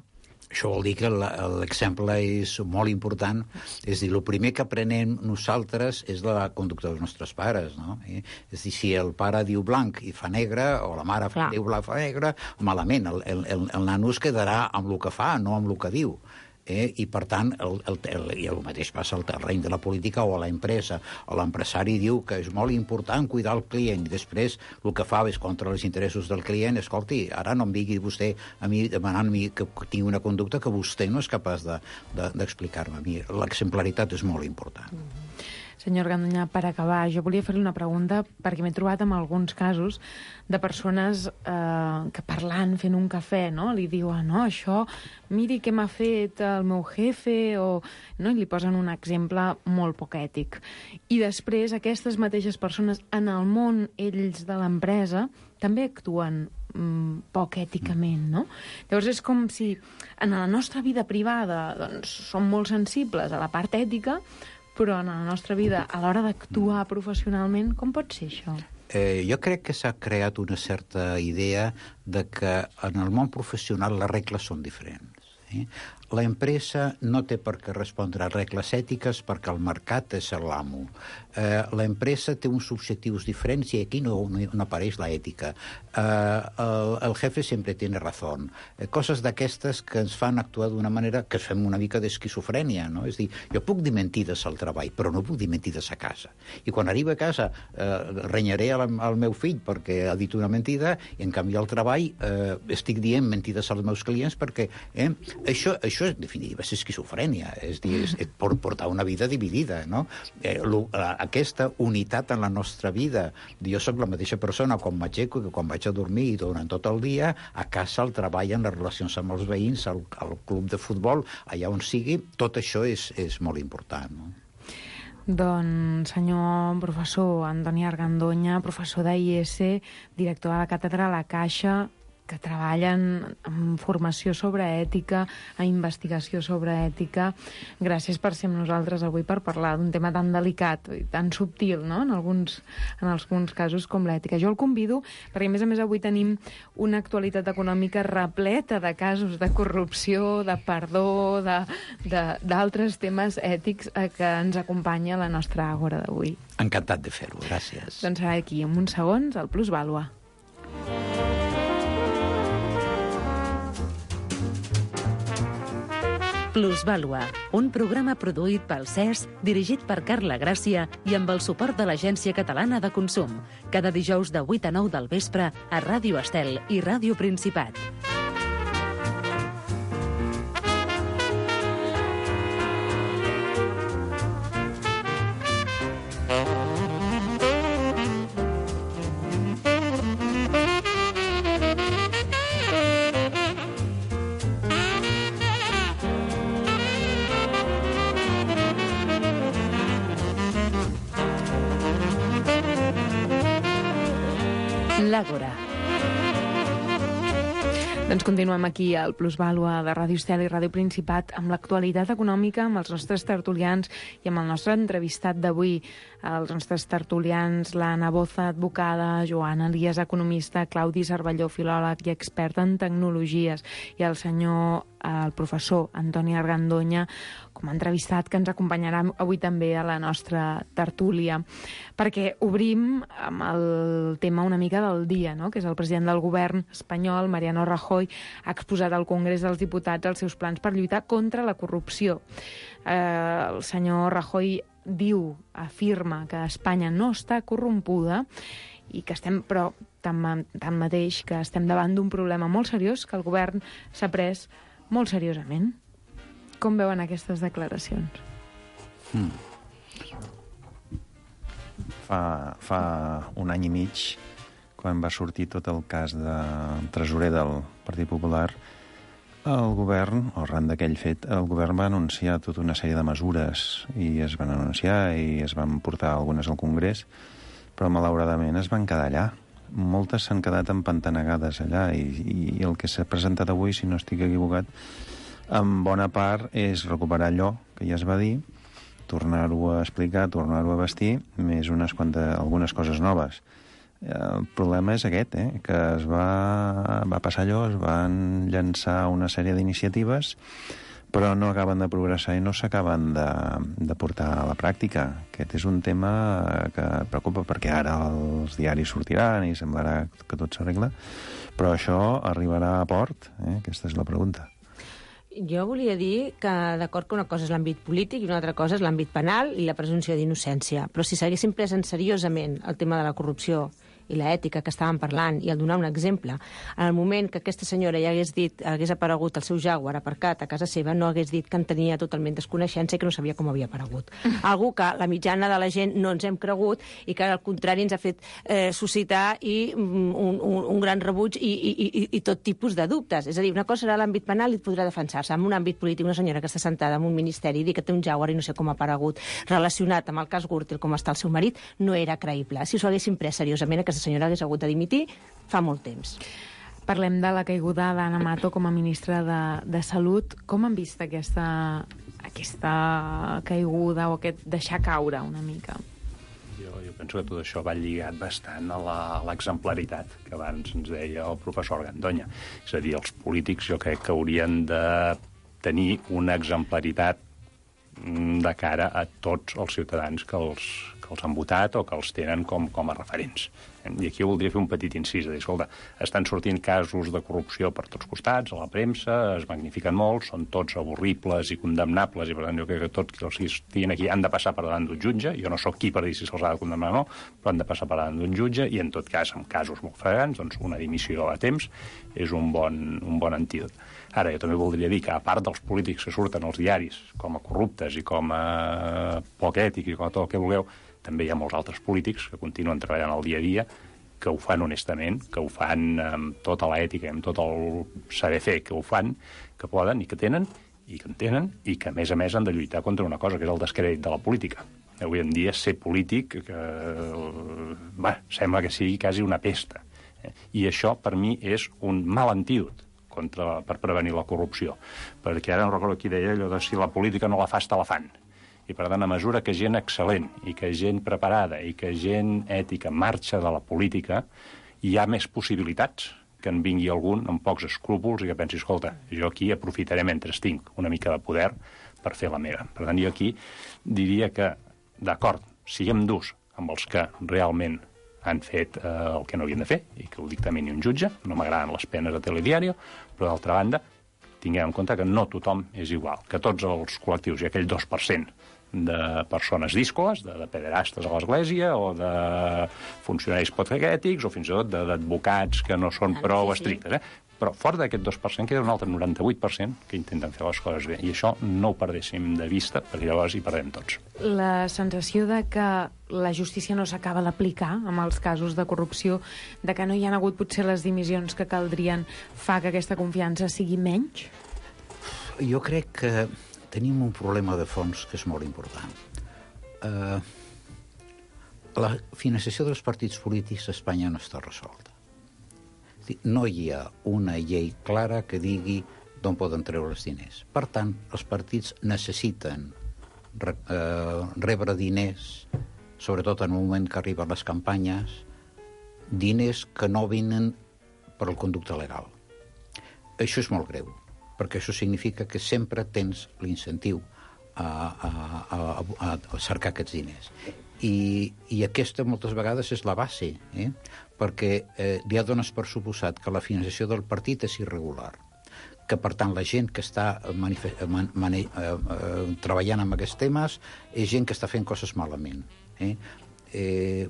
Això vol dir que l'exemple és molt important. És a dir, el primer que aprenem nosaltres és la conducta dels nostres pares, no? És a dir, si el pare diu blanc i fa negre, o la mare Clar. diu blanc i fa negre, malament. El, el, el, el nano es quedarà amb el que fa, no amb el que diu. Eh? I, per tant, el, el, el, i el mateix passa al terreny de la política o a l'empresa. L'empresari diu que és molt important cuidar el client i després el que fa és contra els interessos del client. Escolti, ara no em vingui vostè a mi demanant-me que tingui una conducta que vostè no és capaç d'explicar-me de, de, a mi. L'exemplaritat és molt important. Mm-hmm. Senyor Gandoña, per acabar, jo volia fer-li una pregunta perquè m'he trobat amb alguns casos de persones eh, que parlant, fent un cafè, no? Li diuen, no, això, miri què m'ha fet el meu jefe, o, no? I li posen un exemple molt poc ètic. I després aquestes mateixes persones en el món, ells de l'empresa, també actuen mm, poc èticament, no? Llavors és com si en la nostra vida privada doncs, som molt sensibles a la part ètica, però en la nostra vida, a l'hora d'actuar professionalment, com pot ser això? Eh, jo crec que s'ha creat una certa idea de que en el món professional les regles són diferents. Eh? La empresa no té per què respondre a regles ètiques perquè el mercat és l'amo. Eh, la empresa té uns objectius diferents i aquí no, no, no apareix l'ètica. Eh, el, el jefe sempre tiene razón. Eh, coses d'aquestes que ens fan actuar d'una manera que fem una mica d'esquizofrènia, no? És dir, jo puc dir mentides al treball, però no puc dir mentides a casa. I quan arribo a casa eh, renyaré al, al meu fill perquè ha dit una mentida i en canvi al treball eh, estic dient mentides als meus clients perquè eh, això, això en definitiva és esquizofrènia, és dir, és, és portar una vida dividida, no? Eh, lo, aquesta unitat en la nostra vida. Jo sóc la mateixa persona quan m'aixeco que quan vaig a dormir i durant tot el dia, a casa, al treball, en les relacions amb els veïns, al, al club de futbol, allà on sigui, tot això és, és molt important, no? Doncs, senyor professor Antoni Argandoña, professor d'I E S, director de la càtedra a la Caixa, que treballen en formació sobre ètica, en investigació sobre ètica. Gràcies per ser amb nosaltres avui per parlar d'un tema tan delicat i tan subtil, no?, en alguns, en alguns casos com l'ètica. Jo el convido, perquè a més a més avui tenim una actualitat econòmica repleta de casos de corrupció, de perdó, d'altres temes ètics a que ens acompanya la nostra àgora d'avui. Encantat de fer-ho, gràcies. Doncs serà aquí, en uns segons, el Plusvàlua. Plusvàlua, un programa produït pel C E S, dirigit per Carla Gràcia i amb el suport de l'Agència Catalana de Consum. Cada dijous de vuit a nou del vespre a Ràdio Estel i Ràdio Principat. L'Àgora. Doncs continuem aquí al Plusvàlua de Ràdio Estel i Ràdio Principat amb l'actualitat econòmica, amb els nostres tertulians i amb el nostre entrevistat d'avui. Els nostres tertulians, l'Anna Boza, advocada, Joana Elias, economista, Claudi Cervelló, filòleg i expert en tecnologies, i el senyor, el professor Antoni Argandoña, com a entrevistat que ens acompanyarà avui també a la nostra tertúlia, perquè obrim amb el tema una mica del dia, no? Que és el president del govern espanyol, Mariano Rajoy, ha exposat al Congrés dels Diputats els seus plans per lluitar contra la corrupció. Eh, el senyor Rajoy diu, afirma que Espanya no està corrompuda i que estem, però tanmateix, que estem davant d'un problema molt seriós que el govern s'ha pres molt seriosament. Com veuen aquestes declaracions? Hmm. Fa, fa un any i mig, quan va sortir tot el cas de tresorer del Partit Popular, el govern, o arran d'aquell fet, el govern va anunciar tota una sèrie de mesures i es van anunciar i es van portar algunes al Congrés, però malauradament es van quedar allà. Moltes s'han quedat empantanegades allà i, i el que s'ha presentat avui, si no estic equivocat, en bona part és recuperar allò que ja es va dir, tornar-ho a explicar, tornar-ho a vestir, més unes quantes, algunes coses noves. El problema és aquest, eh? que es va, va passar allò, es van llançar una sèrie d'iniciatives, però no acaben de progressar i no s'acaben de, de portar a la pràctica. Aquest és un tema que preocupa perquè ara els diaris sortiran i semblarà que tot s'arregla, però això arribarà a port? Eh? Aquesta és la pregunta. Jo volia dir que, d'acord que una cosa és l'àmbit polític i una altra cosa és l'àmbit penal i la presumpció d'innocència, però si s'haguessin pres en seriosament el tema de la corrupció i l'ètica que estàvem parlant, i el donar un exemple, en el moment que aquesta senyora ja hagués dit, hagués aparegut el seu Jaguar aparcat a casa seva, no hagués dit que en tenia totalment desconeixença i que no sabia com havia aparegut. Algú que la mitjana de la gent no ens hem cregut i que al contrari ens ha fet eh, suscitar i un, un, un gran rebuig i, i, i, i tot tipus de dubtes. És a dir, una cosa serà l'àmbit penal i podrà defensar-se. En un àmbit polític, una senyora que està sentada en un ministeri i dir que té un Jaguar i no sé com ha aparegut relacionat amb el cas Gürtel, com està el seu marit, no era creïble. Si s'ho haguessin pres seriosament, aquesta senyora hagués hagut de dimitir fa molt temps. Parlem de la caiguda d'Anna Mato com a ministra de, de Salut. Com han vist aquesta, aquesta caiguda o aquest deixar caure una mica? Jo, jo penso que tot això va lligat bastant a la, a l'exemplaritat que abans ens deia el professor Gandoña. És a dir, els polítics jo crec que haurien de tenir una exemplaritat de cara a tots els ciutadans que els, que els han votat o que els tenen com, com a referents. I aquí voldria fer un petit incís, de dir, escolta, estan sortint casos de corrupció per tots costats, a la premsa, es magnifiquen molt, són tots avorribles i condemnables, i per tant jo crec que tots els que estiguin aquí han de passar per davant d'un jutge. Jo no sóc qui per dir si se'ls ha de condemnar o no, però han de passar per davant d'un jutge, i en tot cas, en casos molt fregants, doncs una dimissió a temps és un bon, un bon antídot. Ara, jo també voldria dir que, a part dels polítics que surten als diaris com a corruptes i com a poc ètics i com a tot el que vulgueu, també hi ha molts altres polítics que continuen treballant al dia a dia, que ho fan honestament, que ho fan amb tota l'ètica, amb tot el saber fer, que ho fan, que poden i que tenen, i que en tenen, i que, a més a més, han de lluitar contra una cosa, que és el descrèdit de la política. Avui en dia, ser polític, que, bé, sembla que sigui quasi una pesta. I això, per mi, és un mal antídot contra, per prevenir la corrupció. Perquè ara no recordo qui deia allò de si la política no la fas, te la fan. I, per tant, a mesura que gent excel·lent i que gent preparada i que gent ètica marxa de la política, hi ha més possibilitats que en vingui algun amb pocs escrúpols i que pensi, escolta, jo aquí aprofitaré mentre tinc una mica de poder per fer la meva. Per tant, jo aquí diria que, d'acord, siguem durs amb els que realment han fet eh, el que no havien de fer i que ho dictamini un jutge. No m'agraden les penes de Telediario, però, d'altra banda, tinguem en compte que no tothom és igual, que tots els col·lectius i aquell dos per cent de persones díscoles, de, de pederastes a l'església o de funcionaris poc-ètics o fins i tot d'advocats que no són prou estrictes. Eh? Però fora d'aquest dos per cent queda un altre noranta-vuit per cent que intenten fer les coses bé. I això no ho perdéssim de vista, perquè llavors hi perdem tots. La sensació de que la justícia no s'acaba d'aplicar amb els casos de corrupció, de que no hi ha hagut potser les dimissions que caldrien, fa que aquesta confiança sigui menys? Jo crec que tenim un problema de fons que és molt important. Uh, la finançació dels partits polítics a Espanya no està resolta. No hi ha una llei clara que digui d'on poden treure els diners. Per tant, els partits necessiten re, uh, rebre diners, sobretot en el moment que arriben les campanyes, diners que no venen per el conducte legal. Això és molt greu, perquè això significa que sempre tens l'incentiu a, a, a, a cercar aquests diners. I, i aquesta moltes vegades és la base, eh? perquè eh, ja dones per suposat que la financiació del partit és irregular, que per tant la gent que està man, man, eh, eh, treballant amb aquests temes és gent que està fent coses malament. Eh? Eh,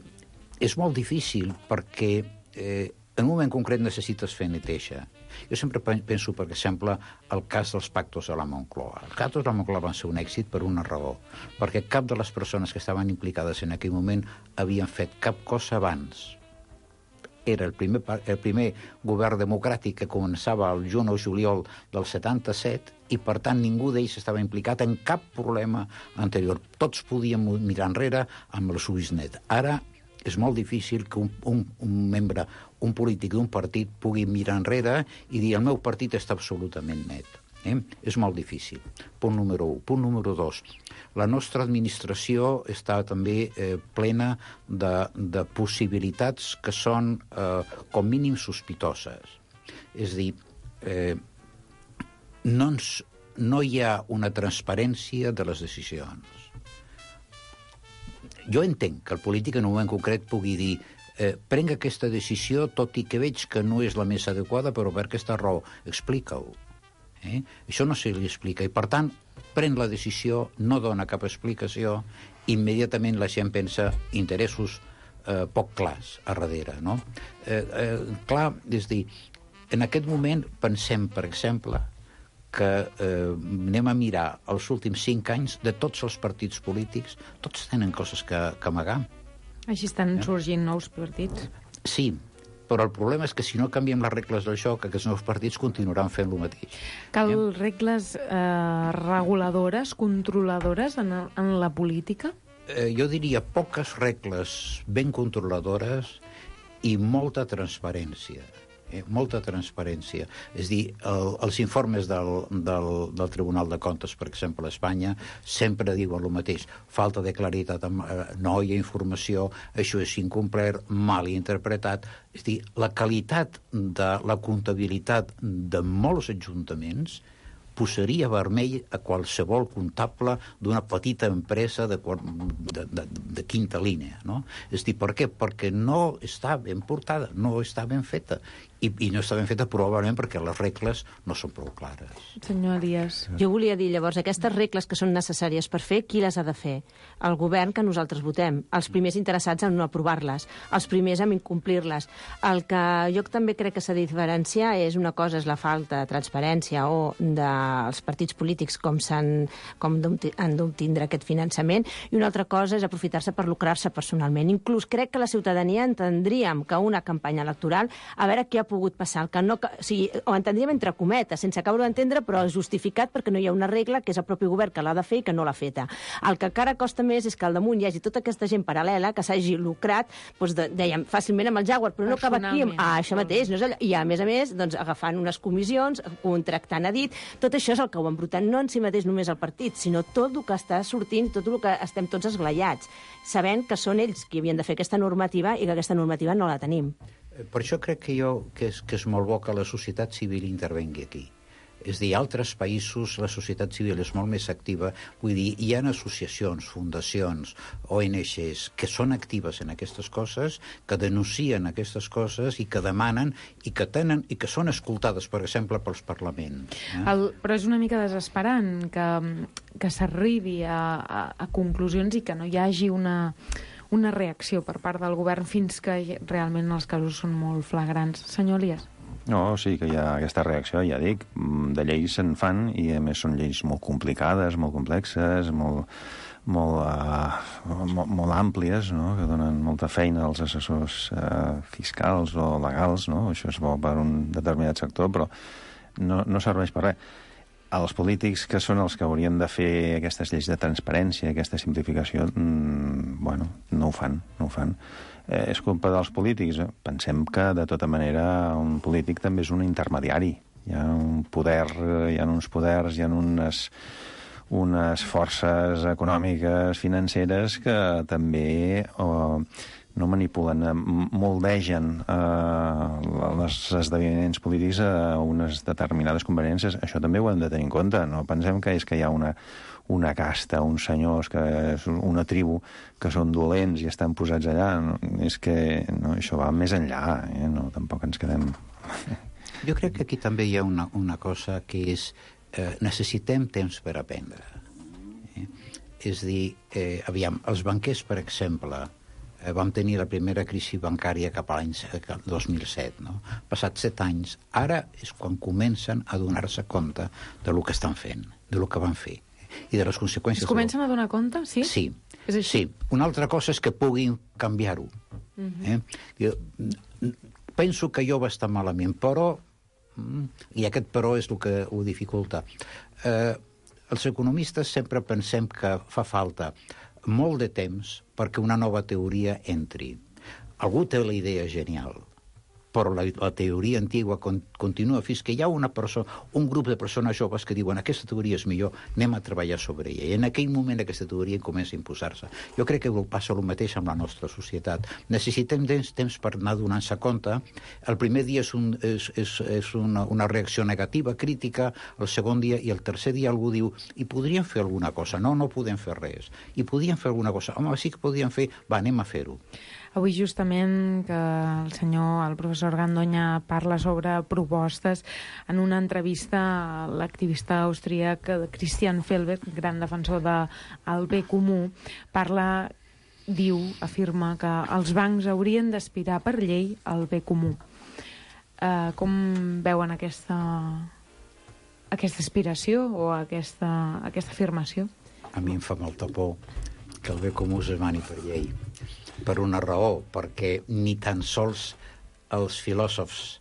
és molt difícil perquè eh, en un moment concret necessites fer neteja. Jo sempre penso, per exemple, el cas dels pactos de la Moncloa. Els pactos de la Moncloa van ser un èxit per una raó, perquè cap de les persones que estaven implicades en aquell moment havien fet cap cosa abans. Era el primer, el primer govern democràtic que començava el juny o juliol del setanta-set i, per tant, ningú d'ells estava implicat en cap problema anterior. Tots podíem mirar enrere amb el Subisnet. Ara és molt difícil que un, un, un membre, un polític d'un partit pugui mirar enrere i dir el meu partit està absolutament net. Eh? És molt difícil. Punt número un. Punt número dos. La nostra administració està també eh, plena de, de possibilitats que són eh, com mínim sospitoses. És a dir, eh, no, ens, no hi ha una transparència de les decisions. Jo entenc que el polític en un moment concret pugui dir eh, prenc aquesta decisió tot i que veig que no és la més adequada, però per aquesta raó, explica-ho. Eh? Això no se li explica i, per tant, pren la decisió, no dona cap explicació, immediatament la gent pensa interessos eh, poc clars a darrere. No? Eh, eh, clar, és dir, en aquest moment pensem, per exemple, que eh, anem a mirar els últims cinc anys de tots els partits polítics, tots tenen coses que, que amagar. Així estan eh? sorgint nous partits. Sí, però el problema és que si no canviem les regles del joc, aquests nous partits continuaran fent el mateix. Cal eh? regles eh, reguladores, controladores en, en la política? Eh, jo diria poques regles ben controladores i molta transparència. Eh, molta transparència. És dir, el, els informes del, del, del Tribunal de Comptes, per exemple, a Espanya, sempre diuen el mateix. Falta de claritat, no hi ha informació, això és incomplert, mal interpretat. És dir, la qualitat de la comptabilitat de molts ajuntaments posaria vermell a qualsevol comptable d'una petita empresa de, de, de, de quinta línia. No? És dir, per què? Perquè no està ben portada, no està ben feta. I, i no està ben feta probablement perquè les regles no són prou clares. Senyor Elias. Jo volia dir, llavors, aquestes regles que són necessàries per fer, qui les ha de fer? El govern que nosaltres votem, els primers interessats en no aprovar-les, els primers en incomplir-les. El que jo també crec que s'ha de diferenciar és una cosa és la falta de transparència o dels partits polítics com, com han d'obtindre aquest finançament i una altra cosa és aprofitar-se per lucrar-se personalment. Inclús crec que la ciutadania entendríem que una campanya electoral, a veure què ha pogut passar, el que no, o sigui, ho entendríem entre cometes, sense acabar d'entendre, però justificat perquè no hi ha una regla que és el propi govern que l'ha de fer i que no l'ha feta. El que encara costa més és que al damunt hi hagi tota aquesta gent paral·lela que s'hagi lucrat, doncs, de, dèiem, fàcilment amb el Jaguar, però no acaba aquí amb ah, això mateix. No és allò. I a més a més, doncs, agafant unes comissions, contractant a dit, tot això és el que ho embrutant, no en si mateix només el partit, sinó tot el que està sortint, tot el que estem tots esglaiats, sabent que són ells qui havien de fer aquesta normativa i que aquesta normativa no la tenim. Per això crec que, jo, que, és, que és molt bo que la societat civil intervengui aquí. És dir, altres països la societat civil és molt més activa. Vull dir, hi ha associacions, fundacions, O N Ges que són actives en aquestes coses, que denuncien aquestes coses i que demanen i que tenen i que són escoltades, per exemple, pels parlaments. Eh? El, però és una mica desesperant que, que s'arribi a, a, a conclusions i que no hi hagi una... una reacció per part del govern fins que realment els casos són molt flagrants. Senyor Elias. No, sí que hi ha aquesta reacció, ja dic, de lleis se'n fan i a més són lleis molt complicades, molt complexes, molt, molt, uh, molt, molt àmplies, no? Que donen molta feina als assessors uh, fiscals o legals, no? Això és bo per un determinat sector, però no, no serveix per res. Els polítics, que són els que haurien de fer aquestes lleis de transparència, aquesta simplificació, mmm, bueno, no ho fan, no ho fan. Eh, és culpa dels polítics. Eh? Pensem que, de tota manera, un polític també és un intermediari. Hi ha un poder, hi ha uns poders, hi ha unes, unes forces econòmiques, financeres, que també... Oh, no manipulen, moldegen eh, els esdeveniments polítics a unes determinades conveniències. Això també ho hem de tenir en compte. No pensem que és que hi ha una, una casta, uns senyors, que és una tribu, que són dolents i estan posats allà. No, és que no, això va més enllà. Eh? No, tampoc ens quedem... Jo crec que aquí també hi ha una, una cosa que és eh, necessitem temps per aprendre. Eh? És dir, eh, aviam, els banquers, per exemple, eh, vam tenir la primera crisi bancària cap a l'any dos mil set, no? Passats set anys, ara és quan comencen a donar-se compte de lo que estan fent, de lo que van fer, i de les conseqüències... Es comencen a donar compte, sí? Sí, és així? sí. Una altra cosa és que puguin canviar-ho. Uh-huh. eh? Jo, penso que jo va estar malament, però... I aquest però és el que ho dificulta. Eh, els economistes sempre pensem que fa falta molt de temps perquè una nova teoria entri. Algú té la idea genial, però la, la teoria antigua con, continua fins que hi ha una persona, un grup de persones joves que diuen aquesta teoria és millor, anem a treballar sobre ella. I en aquell moment aquesta teoria comença a imposar-se. Jo crec que passa el mateix amb la nostra societat. Necessitem temps, temps per anar donant-se compte. El primer dia és, un, és, és, és una, una reacció negativa, crítica, el segon dia i el tercer dia algú diu i podríem fer alguna cosa? No, no podem fer res. I podríem fer alguna cosa? Home, sí que podríem fer, va, anem a fer-ho. Avui justament que el senyor, el professor Gandoña parla sobre propostes, en una entrevista a l'activista austríac Christian Felber, gran defensor del bé comú, parla, diu, afirma que els bancs haurien d'aspirar per llei al bé comú. Eh, com veuen aquesta, aquesta aspiració o aquesta, aquesta afirmació? A mi em fa molta por que el bé comú es demani per llei. Per una raó, perquè ni tan sols els filòsofs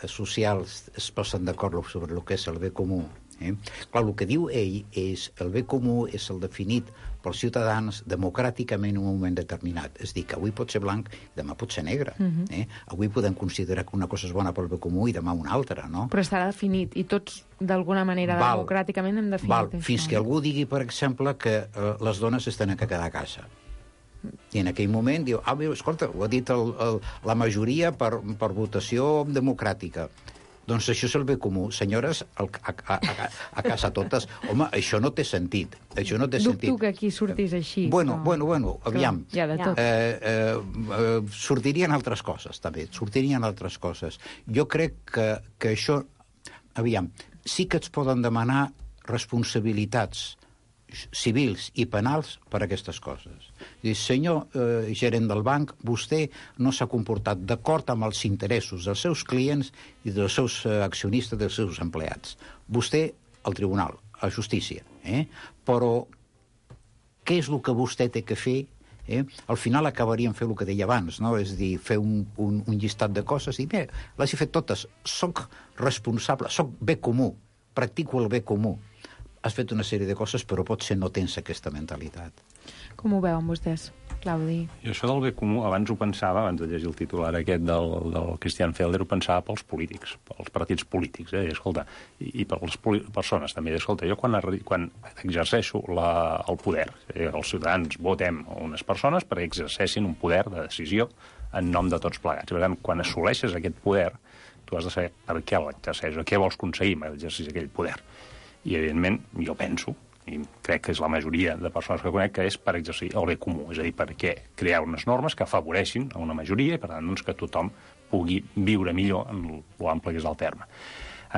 socials es posen d'acord sobre el que és el bé comú. Eh? Clar, el que diu ell és el bé comú és el definit pels ciutadans democràticament en un moment determinat. És dir, que avui pot ser blanc i demà pot ser negre. Uh-huh. eh? Avui podem considerar que una cosa és bona pel bé comú i demà una altra, no? Però estarà definit i tots, d'alguna manera, val, democràticament hem definit val, això. Fins que algú digui, per exemple, que eh, les dones es tenen que quedar a casa. I en aquell moment diu, ah, bé, escolta, ho ha dit el, el, la majoria per, per votació democràtica. Doncs això és el bé comú. Senyores, el, a, a, a, a casa totes, home, això no té sentit. Això no té Dubto sentit. que aquí sortís així. Bueno, però... bueno, bueno, aviam. Hi ha de tot. Eh, eh, eh, sortirien altres coses, també. Sortirien altres coses. Jo crec que, que això... Aviam, sí que es poden demanar responsabilitats civils i penals per a aquestes coses. Diu, senyor eh, gerent del banc, vostè no s'ha comportat d'acord amb els interessos dels seus clients i dels seus eh, accionistes, dels seus empleats. Vostè, al tribunal, a justícia. Eh? Però què és el que vostè té que fer? Eh? Al final acabaríem fent el que deia abans, no? És dir, fer un, un, un llistat de coses i bé, les he fet totes. Soc responsable, soc bé comú, practico el bé comú. Has fet una sèrie de coses, però potser no tens aquesta mentalitat. Com ho veuen vostès, Claudi? I això del bé comú, abans ho pensava, abans de llegir el titular aquest del, del Christian Felber, ho pensava pels polítics, pels partits polítics, eh? I, escolta, i, i per les persones també. I, escolta, jo quan, quan exerceixo la, el poder, eh, els ciutadans votem unes persones perquè exerceixin un poder de decisió en nom de tots plegats. Per tant, quan assoleixes aquest poder, tu has de saber per què l'exerceixes, què vols aconseguir amb l'exercici d'aquell poder. I, evidentment, jo penso, i crec que és la majoria de persones que conec, que és per exercir el bé comú, és a dir, perquè crear unes normes que afavoreixin a una majoria i, per tant, doncs, que tothom pugui viure millor en l'ample que és el terme.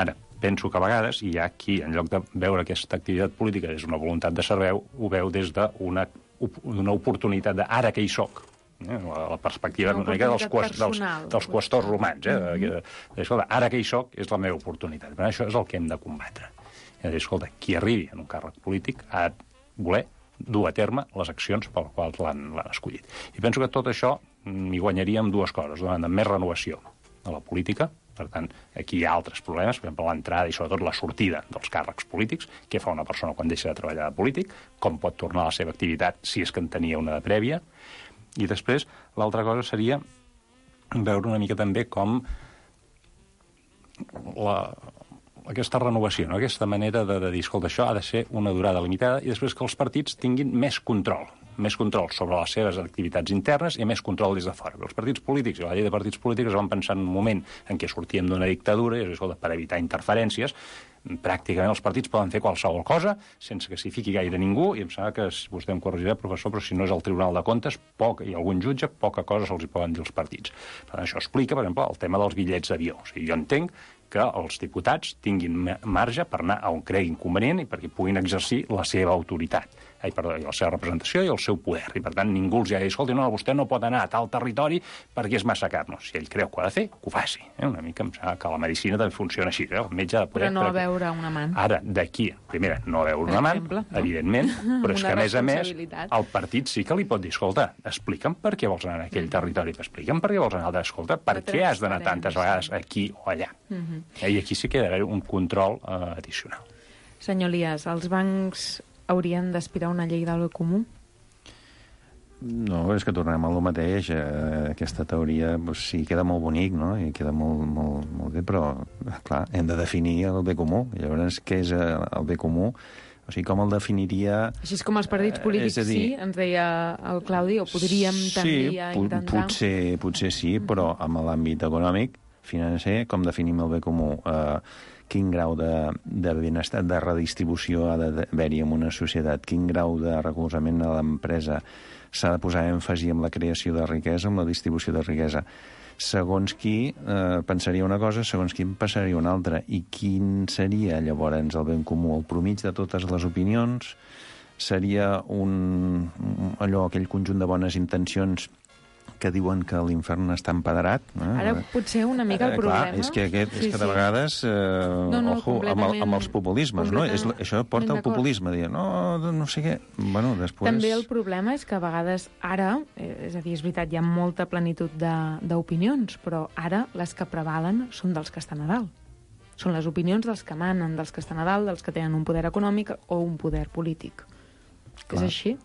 Ara, penso que a vegades hi ha qui, en lloc de veure aquesta activitat política és una voluntat de servei, ho veu des d'una una oportunitat de ara que hi soc, eh? La perspectiva una mica dels, quest, dels, dels qüestors romans. Eh? Mm-hmm. Escolta, ara que hi soc és la meva oportunitat. Però això és el que hem de combatre. És a dir, escolta, qui arribi en un càrrec polític ha de voler dur a terme les accions per les quals l'han escollit. I penso que tot això m'hi guanyaria amb dues coses. Una banda, més renovació de la política. Per tant, aquí hi ha altres problemes, per exemple, l'entrada i sobretot la sortida dels càrrecs polítics, què fa una persona quan deixa de treballar de polític, com pot tornar a la seva activitat si és que en tenia una de prèvia. I després, l'altra cosa seria veure una mica també com la... aquesta renovació, no? Aquesta manera de, de dir, escolta, això ha de ser una durada limitada i després que els partits tinguin més control, més control sobre les seves activitats internes i més control des de fora. Els partits polítics i la llei de partits polítics van pensar en un moment en què sortíem d'una dictadura i, escolta, per evitar interferències, pràcticament els partits poden fer qualsevol cosa sense que s'hi fiqui gaire ningú, i em sembla que, si vostè em corregirà, professor, però si no és el Tribunal de Comptes poc, i algun jutge, poca cosa se'ls hi poden dir els partits. Per tant, això explica, per exemple, el tema dels bitllets d'avió. O sigui, jo entenc que els diputats tinguin marge per anar a on creguin convenient i perquè puguin exercir la seva autoritat, ai, perdó, la seva representació i el seu poder. I, per tant, ningú els ha de dir, escolti, no, vostè no pot anar a tal territori perquè és massa car. No, si ell creu que ho ha de fer, que ho faci. Eh? Una mica em sembla que la medicina també funciona així. Eh? El metge ha de poder... Però no a veure un amant. Ara, d'aquí, primera, no a veure un amant, no? Evidentment, però és que, a més a més, el partit sí que li pot dir, escolta, explica'm per què vols anar a aquell mm. territori, explica'm per què vols anar a escolta, per què has d'anar tantes vegades aquí o allà. Mm -hmm. I aquí sí que ha d'haver un control uh, addicional. Senyor Elias, els bancs haurien d'aspirar una llei del bé comú? No, és que tornem a lo mateix. Eh, aquesta teoria, doncs, sí, queda molt bonic, no? I queda molt, molt, molt bé, però, clar, hem de definir el bé comú. Llavors, què és el bé comú? O sigui, com el definiria... Així és com els partits polítics, eh, dir, sí, ens deia el Claudi, o podríem tendir sí, a intentar... Potser, potser sí, però en l'àmbit econòmic, financer, com definim el bé comú? Eh, quin grau de, de benestar, de redistribució ha d'haver-hi en una societat? Quin grau de recolzament a l'empresa? S'ha de posar èmfasi en la creació de riquesa, en la distribució de riquesa. Segons qui eh, pensaria una cosa, segons qui en passaria una altra. I quin seria, llavors, el bé comú? El promig de totes les opinions? Seria un, allò, aquell conjunt de bones intencions que diuen que l'infern està empedrat. Eh? Ara potser una mica el eh, problema... Clar, és que, aquest, sí, és que de sí. vegades, eh, no, no, ojo, amb, el, amb els populismes, no? És, això porta al populisme, dir, no, no sé què... Bueno, després... També el problema és que a vegades ara, és a dir, és veritat, hi ha molta plenitud d'opinions, però ara les que prevalen són dels que estan a dalt. Són les opinions dels que manen, dels que estan a dalt, dels que tenen un poder econòmic o un poder polític. Clar. És així?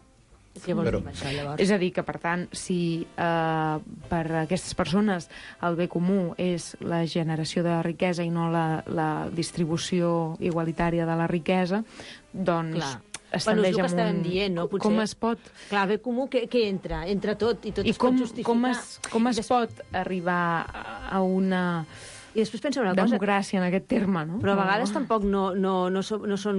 Què vols dir amb això, llavors? És a dir, que, per tant, si eh, per a aquestes persones el bé comú és la generació de riquesa i no la, la distribució igualitària de la riquesa, doncs... Clar. Es bueno, és el que un... estàvem dient, no? Potser... Com es pot... Clar, bé comú, què, què entra? Entra tot, i tot I es com, pot justificar. com es, com es Des... pot arribar a una... I després pensa una cosa... Democràcia, en aquest terme, no? Però a vegades no. tampoc no, no, no, so, no són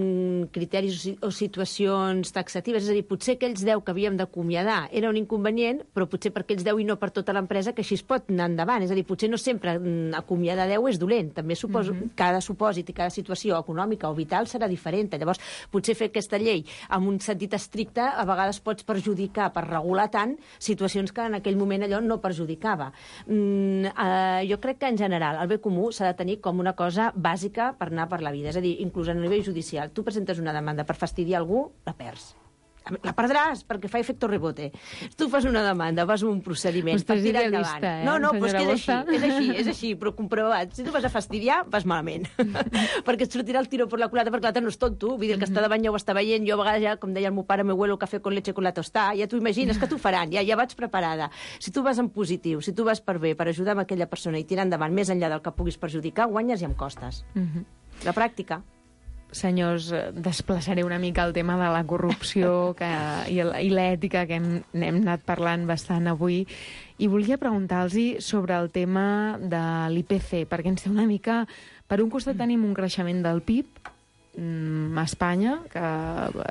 criteris o situacions taxatives. És a dir, potser aquells deu que havíem d'acomiadar era un inconvenient, però potser per aquells deu i no per tota l'empresa, que així es pot anar endavant. És a dir, potser no sempre acomiadar deu és dolent. També suposo, mm -hmm. cada supòsit i cada situació econòmica o vital serà diferent. Llavors, potser fer aquesta llei amb un sentit estricte a vegades pots perjudicar, per regular tant, situacions que en aquell moment allò no perjudicava. Mm, eh, jo crec que, en general, el bé comú s'ha de tenir com una cosa bàsica per anar per la vida. És a dir, inclús a nivell judicial. Tu presentes una demanda per fastidiar algú, la perds. La perdràs, perquè fa efecto rebote. Tu fas una demanda, vas a un procediment per tirar endavant. Eh, no, no, però és que és així, és així, és així, però comprovat. Si tu vas a fastidiar, vas malament. perquè et sortirà el tiro per la culata, perquè l'altre no és tonto. Vull dir, el que està davant ja ho està veient. Jo a vegades ja, com deia el meu pare, me huelo el cafè con leche con la tostada. Ja t'ho imagines que t'ho faran, ja, ja vaig preparada. Si tu vas en positiu, si tu vas per bé, per ajudar amb aquella persona i tirar endavant més enllà del que puguis perjudicar, guanyes i amb costes. Mm -hmm. La pràctica. Senyors, desplaçaré una mica el tema de la corrupció que, i, i l'ètica, que hem, hem anat parlant bastant avui, i volia preguntar-los sobre el tema de l'I P C, perquè ens té una mica... Per un costat tenim un creixement del P I B a Espanya, que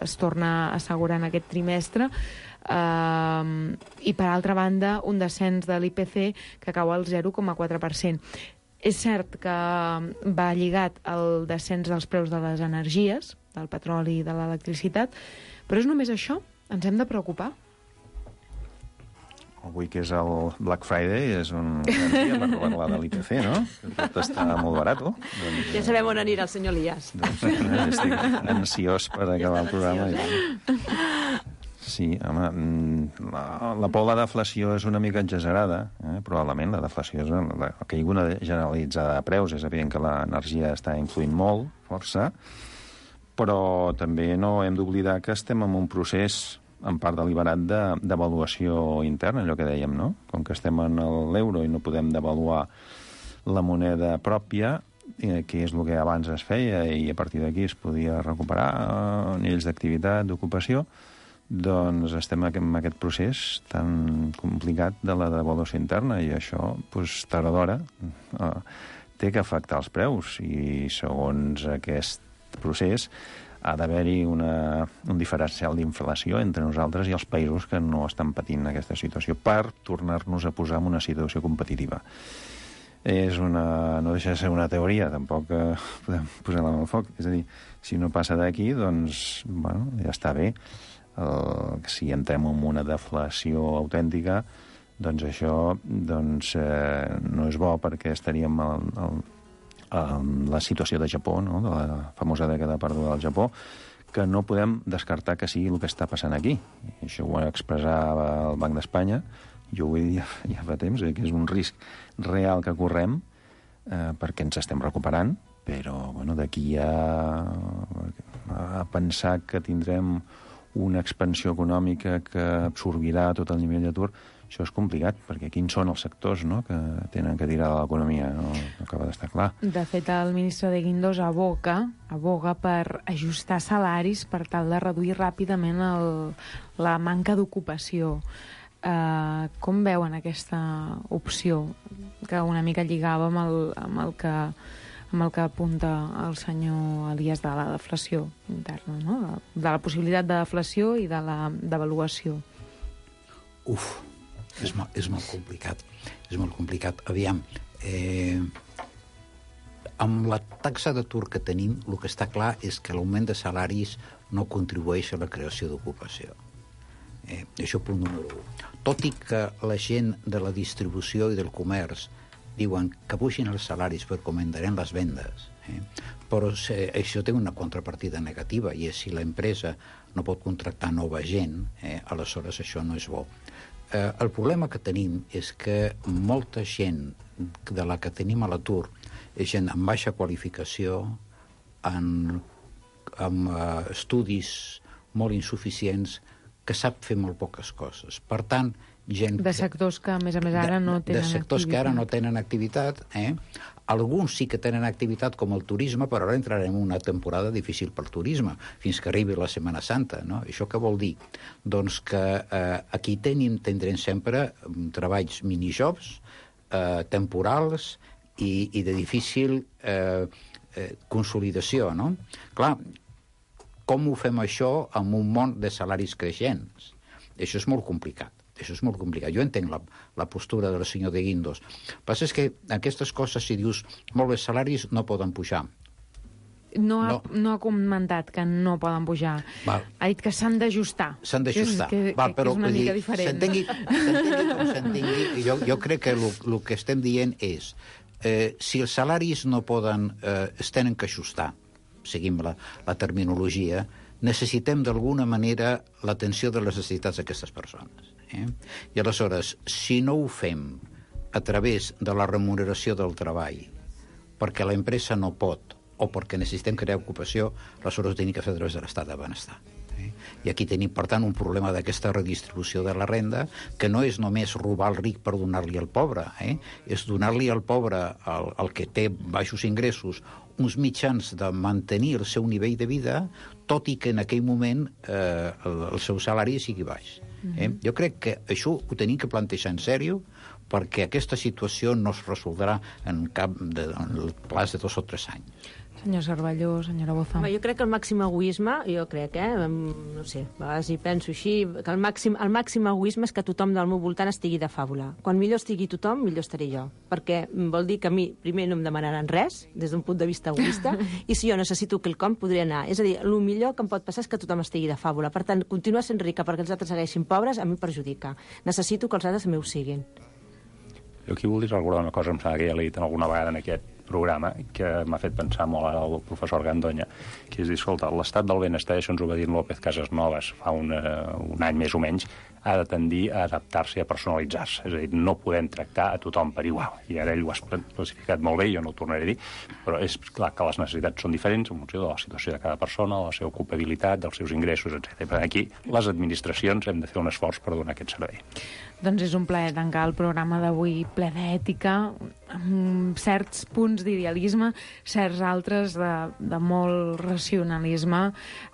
es torna a assegurar en aquest trimestre, eh, i per altra banda un descens de l'I P C que cau al zero coma quatre per cent. És cert que va lligat al descens dels preus de les energies, del petroli i de l'electricitat, però és només això? Ens hem de preocupar? Avui, que és el Black Friday, és un gran dia per parlar de l'I P C, no? Tot està molt barat, no? Doncs, ja sabem on anirà el senyor Elias. Doncs, eh, estic ansiós per acabar el programa. Sí, home, la, la por a la deflació és una mica exagerada, eh? Probablement la deflació és una, la caiguda generalitzada de preus. És evident que l'energia està influint molt, força, però també no hem d'oblidar que estem en un procés en part deliberat d'avaluació de, interna, allò que dèiem, no? Com que estem en l'euro i no podem devaluar la moneda pròpia, eh, que és el que abans es feia i a partir d'aquí es podia recuperar eh, nivells d'activitat, d'ocupació, doncs estem en aquest procés tan complicat de la devaluació interna i això, doncs, tard o d'hora, eh, té que afectar els preus i segons aquest procés ha d'haver-hi una, un diferencial d'inflació entre nosaltres i els països que no estan patint aquesta situació per tornar-nos a posar en una situació competitiva. És una, no deixa de ser una teoria, tampoc eh, podem posar-la en el foc. És a dir, si no passa d'aquí, doncs, bueno, ja està bé. El, si entrem en una deflació autèntica, doncs això doncs, eh, no és bo perquè estaríem al, al, en la situació de Japó, no? De la famosa dècada perduda del Japó, que no podem descartar que sigui el que està passant aquí. I això ho expressava el Banc d'Espanya, jo ho vull dir ja, ja fa temps, eh, que és un risc real que correm eh, perquè ens estem recuperant, però bueno, d'aquí a, a pensar que tindrem una expansió econòmica que absorbirà tot el nivell d'atur, això és complicat, perquè quins són els sectors, no?, que tenen que tirar de l'economia, no, no acaba d'estar clar. De fet, el ministre de Guindos aboca, aboga per ajustar salaris per tal de reduir ràpidament el, la manca d'ocupació. Uh, com veuen aquesta opció que una mica lligava amb el, amb el que amb el que apunta el senyor Elias de la deflació interna, no? De la possibilitat de deflació i de la devaluació. Uf, és, mo és molt complicat. És molt complicat. Aviam, eh, amb la taxa d'atur que tenim, el que està clar és que l'augment de salaris no contribueix a la creació d'ocupació. Eh, això punt número un. Tot i que la gent de la distribució i del comerç diuen que pugin els salaris perquè augmentaran les vendes, eh? Però se, això té una contrapartida negativa, i és si l'empresa no pot contractar nova gent, eh, aleshores això no és bo. Eh, el problema que tenim és que molta gent de la que tenim a l'atur és gent amb baixa qualificació, amb, amb uh, estudis molt insuficients, que sap fer molt poques coses. Per tant, gent... De sectors que, a més a més, ara no tenen activitat. De sectors que ara no tenen activitat, eh? Alguns sí que tenen activitat, com el turisme, però ara entrarem en una temporada difícil pel turisme, fins que arribi la Setmana Santa, no? Això què vol dir? Doncs que eh, aquí tenim, tindrem sempre treballs minijobs, eh, temporals i, i de difícil eh, eh, consolidació, no? Clar, com ho fem això amb un món de salaris creixents? Això és molt complicat. Això és molt complicat. Jo entenc la, la postura del senyor de Guindos. El que passa és que aquestes coses, si dius molt bé, salaris no poden pujar. No ha, no. no ha comentat que no poden pujar. Val. Ha dit que s'han d'ajustar. S'han d'ajustar. Que, Val, que, però, que és una mica dir, diferent. S'entengui com s'entengui. Jo, jo crec que el que estem dient és eh, si els salaris no poden, eh, es tenen que ajustar, seguim la, la terminologia, necessitem d'alguna manera l'atenció de les necessitats d'aquestes persones. Eh? I aleshores, si no ho fem a través de la remuneració del treball, perquè la empresa no pot, o perquè necessitem crear ocupació, aleshores ho tenim que fer a través de l'estat de benestar. Eh? I aquí tenim, per tant, un problema d'aquesta redistribució de la renda, que no és només robar el ric per donar-li al pobre, eh? És donar-li al pobre, al, al que té baixos ingressos, uns mitjans de mantenir el seu nivell de vida, tot i que en aquell moment eh, el, el seu salari sigui baix. Eh? Mm-hmm. Jo crec que això ho tenim que plantejar en sèrio, perquè aquesta situació no es resoldrà en cap de, en el plaç de dos o tres anys. Senyor Cervelló, senyora Boza. Home, jo crec que el màxim egoisme, jo crec, eh, no sé, a vegades hi penso així, que el màxim, el màxim egoisme és que tothom del meu voltant estigui de fàbula. Quan millor estigui tothom, millor estaré jo. Perquè vol dir que a mi, primer, no em demanaran res, des d'un punt de vista egoista, i si jo necessito quelcom, podré anar. És a dir, el millor que em pot passar és que tothom estigui de fàbula. Per tant, continuar sent rica perquè els altres segueixin pobres, a mi perjudica. Necessito que els altres meus siguin. Jo aquí voldria recordar una cosa, em sembla que ja l'he dit alguna vegada en aquest programa, que m'ha fet pensar molt ara el professor Gandoña, que és dir, escolta, l'estat del benestar, això ens ho va dir López Casasnovas fa un, uh, un any més o menys, ha de tendir a adaptar-se i a personalitzar-se. És a dir, no podem tractar a tothom per igual. I ara ell ho ha classificat molt bé, jo no ho tornaré a dir, però és clar que les necessitats són diferents en funció de la situació de cada persona, de la seva ocupabilitat, dels seus ingressos, etcètera. Per aquí, les administracions hem de fer un esforç per donar aquest servei. Doncs és un plaer tancar el programa d'avui ple d'ètica, amb certs punts d'idealisme, certs altres de, de molt racionalisme.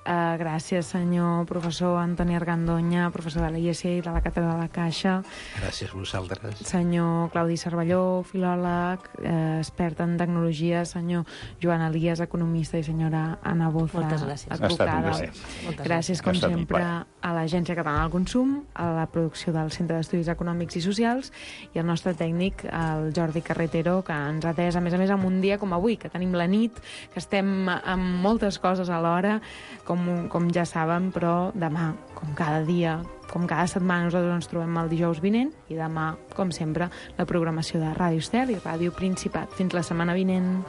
Uh, gràcies, senyor professor Antoni Argandoña, professor de l'I E S I de la Càtedra de la Caixa. Gràcies a vosaltres. Senyor Claudi Cervelló, filòleg, eh, expert en tecnologia, senyor Joan Elias, economista, i senyora Anna Boza, moltes gràcies. advocada. Gràcies, gràcies com sempre, a l'Agència Catalana del Consum, a la producció del Centre d'Estudis Econòmics i Socials i al nostre tècnic, el Jordi Carretero, que ens ha atès, a més a més, en un dia com avui, que tenim la nit, que estem amb moltes coses alhora, com, com ja saben, però demà, com cada dia, com cada setmana, nosaltres ens trobem el dijous vinent i demà, com sempre, la programació de Ràdio Estel i Ràdio Principat. Fins la setmana vinent.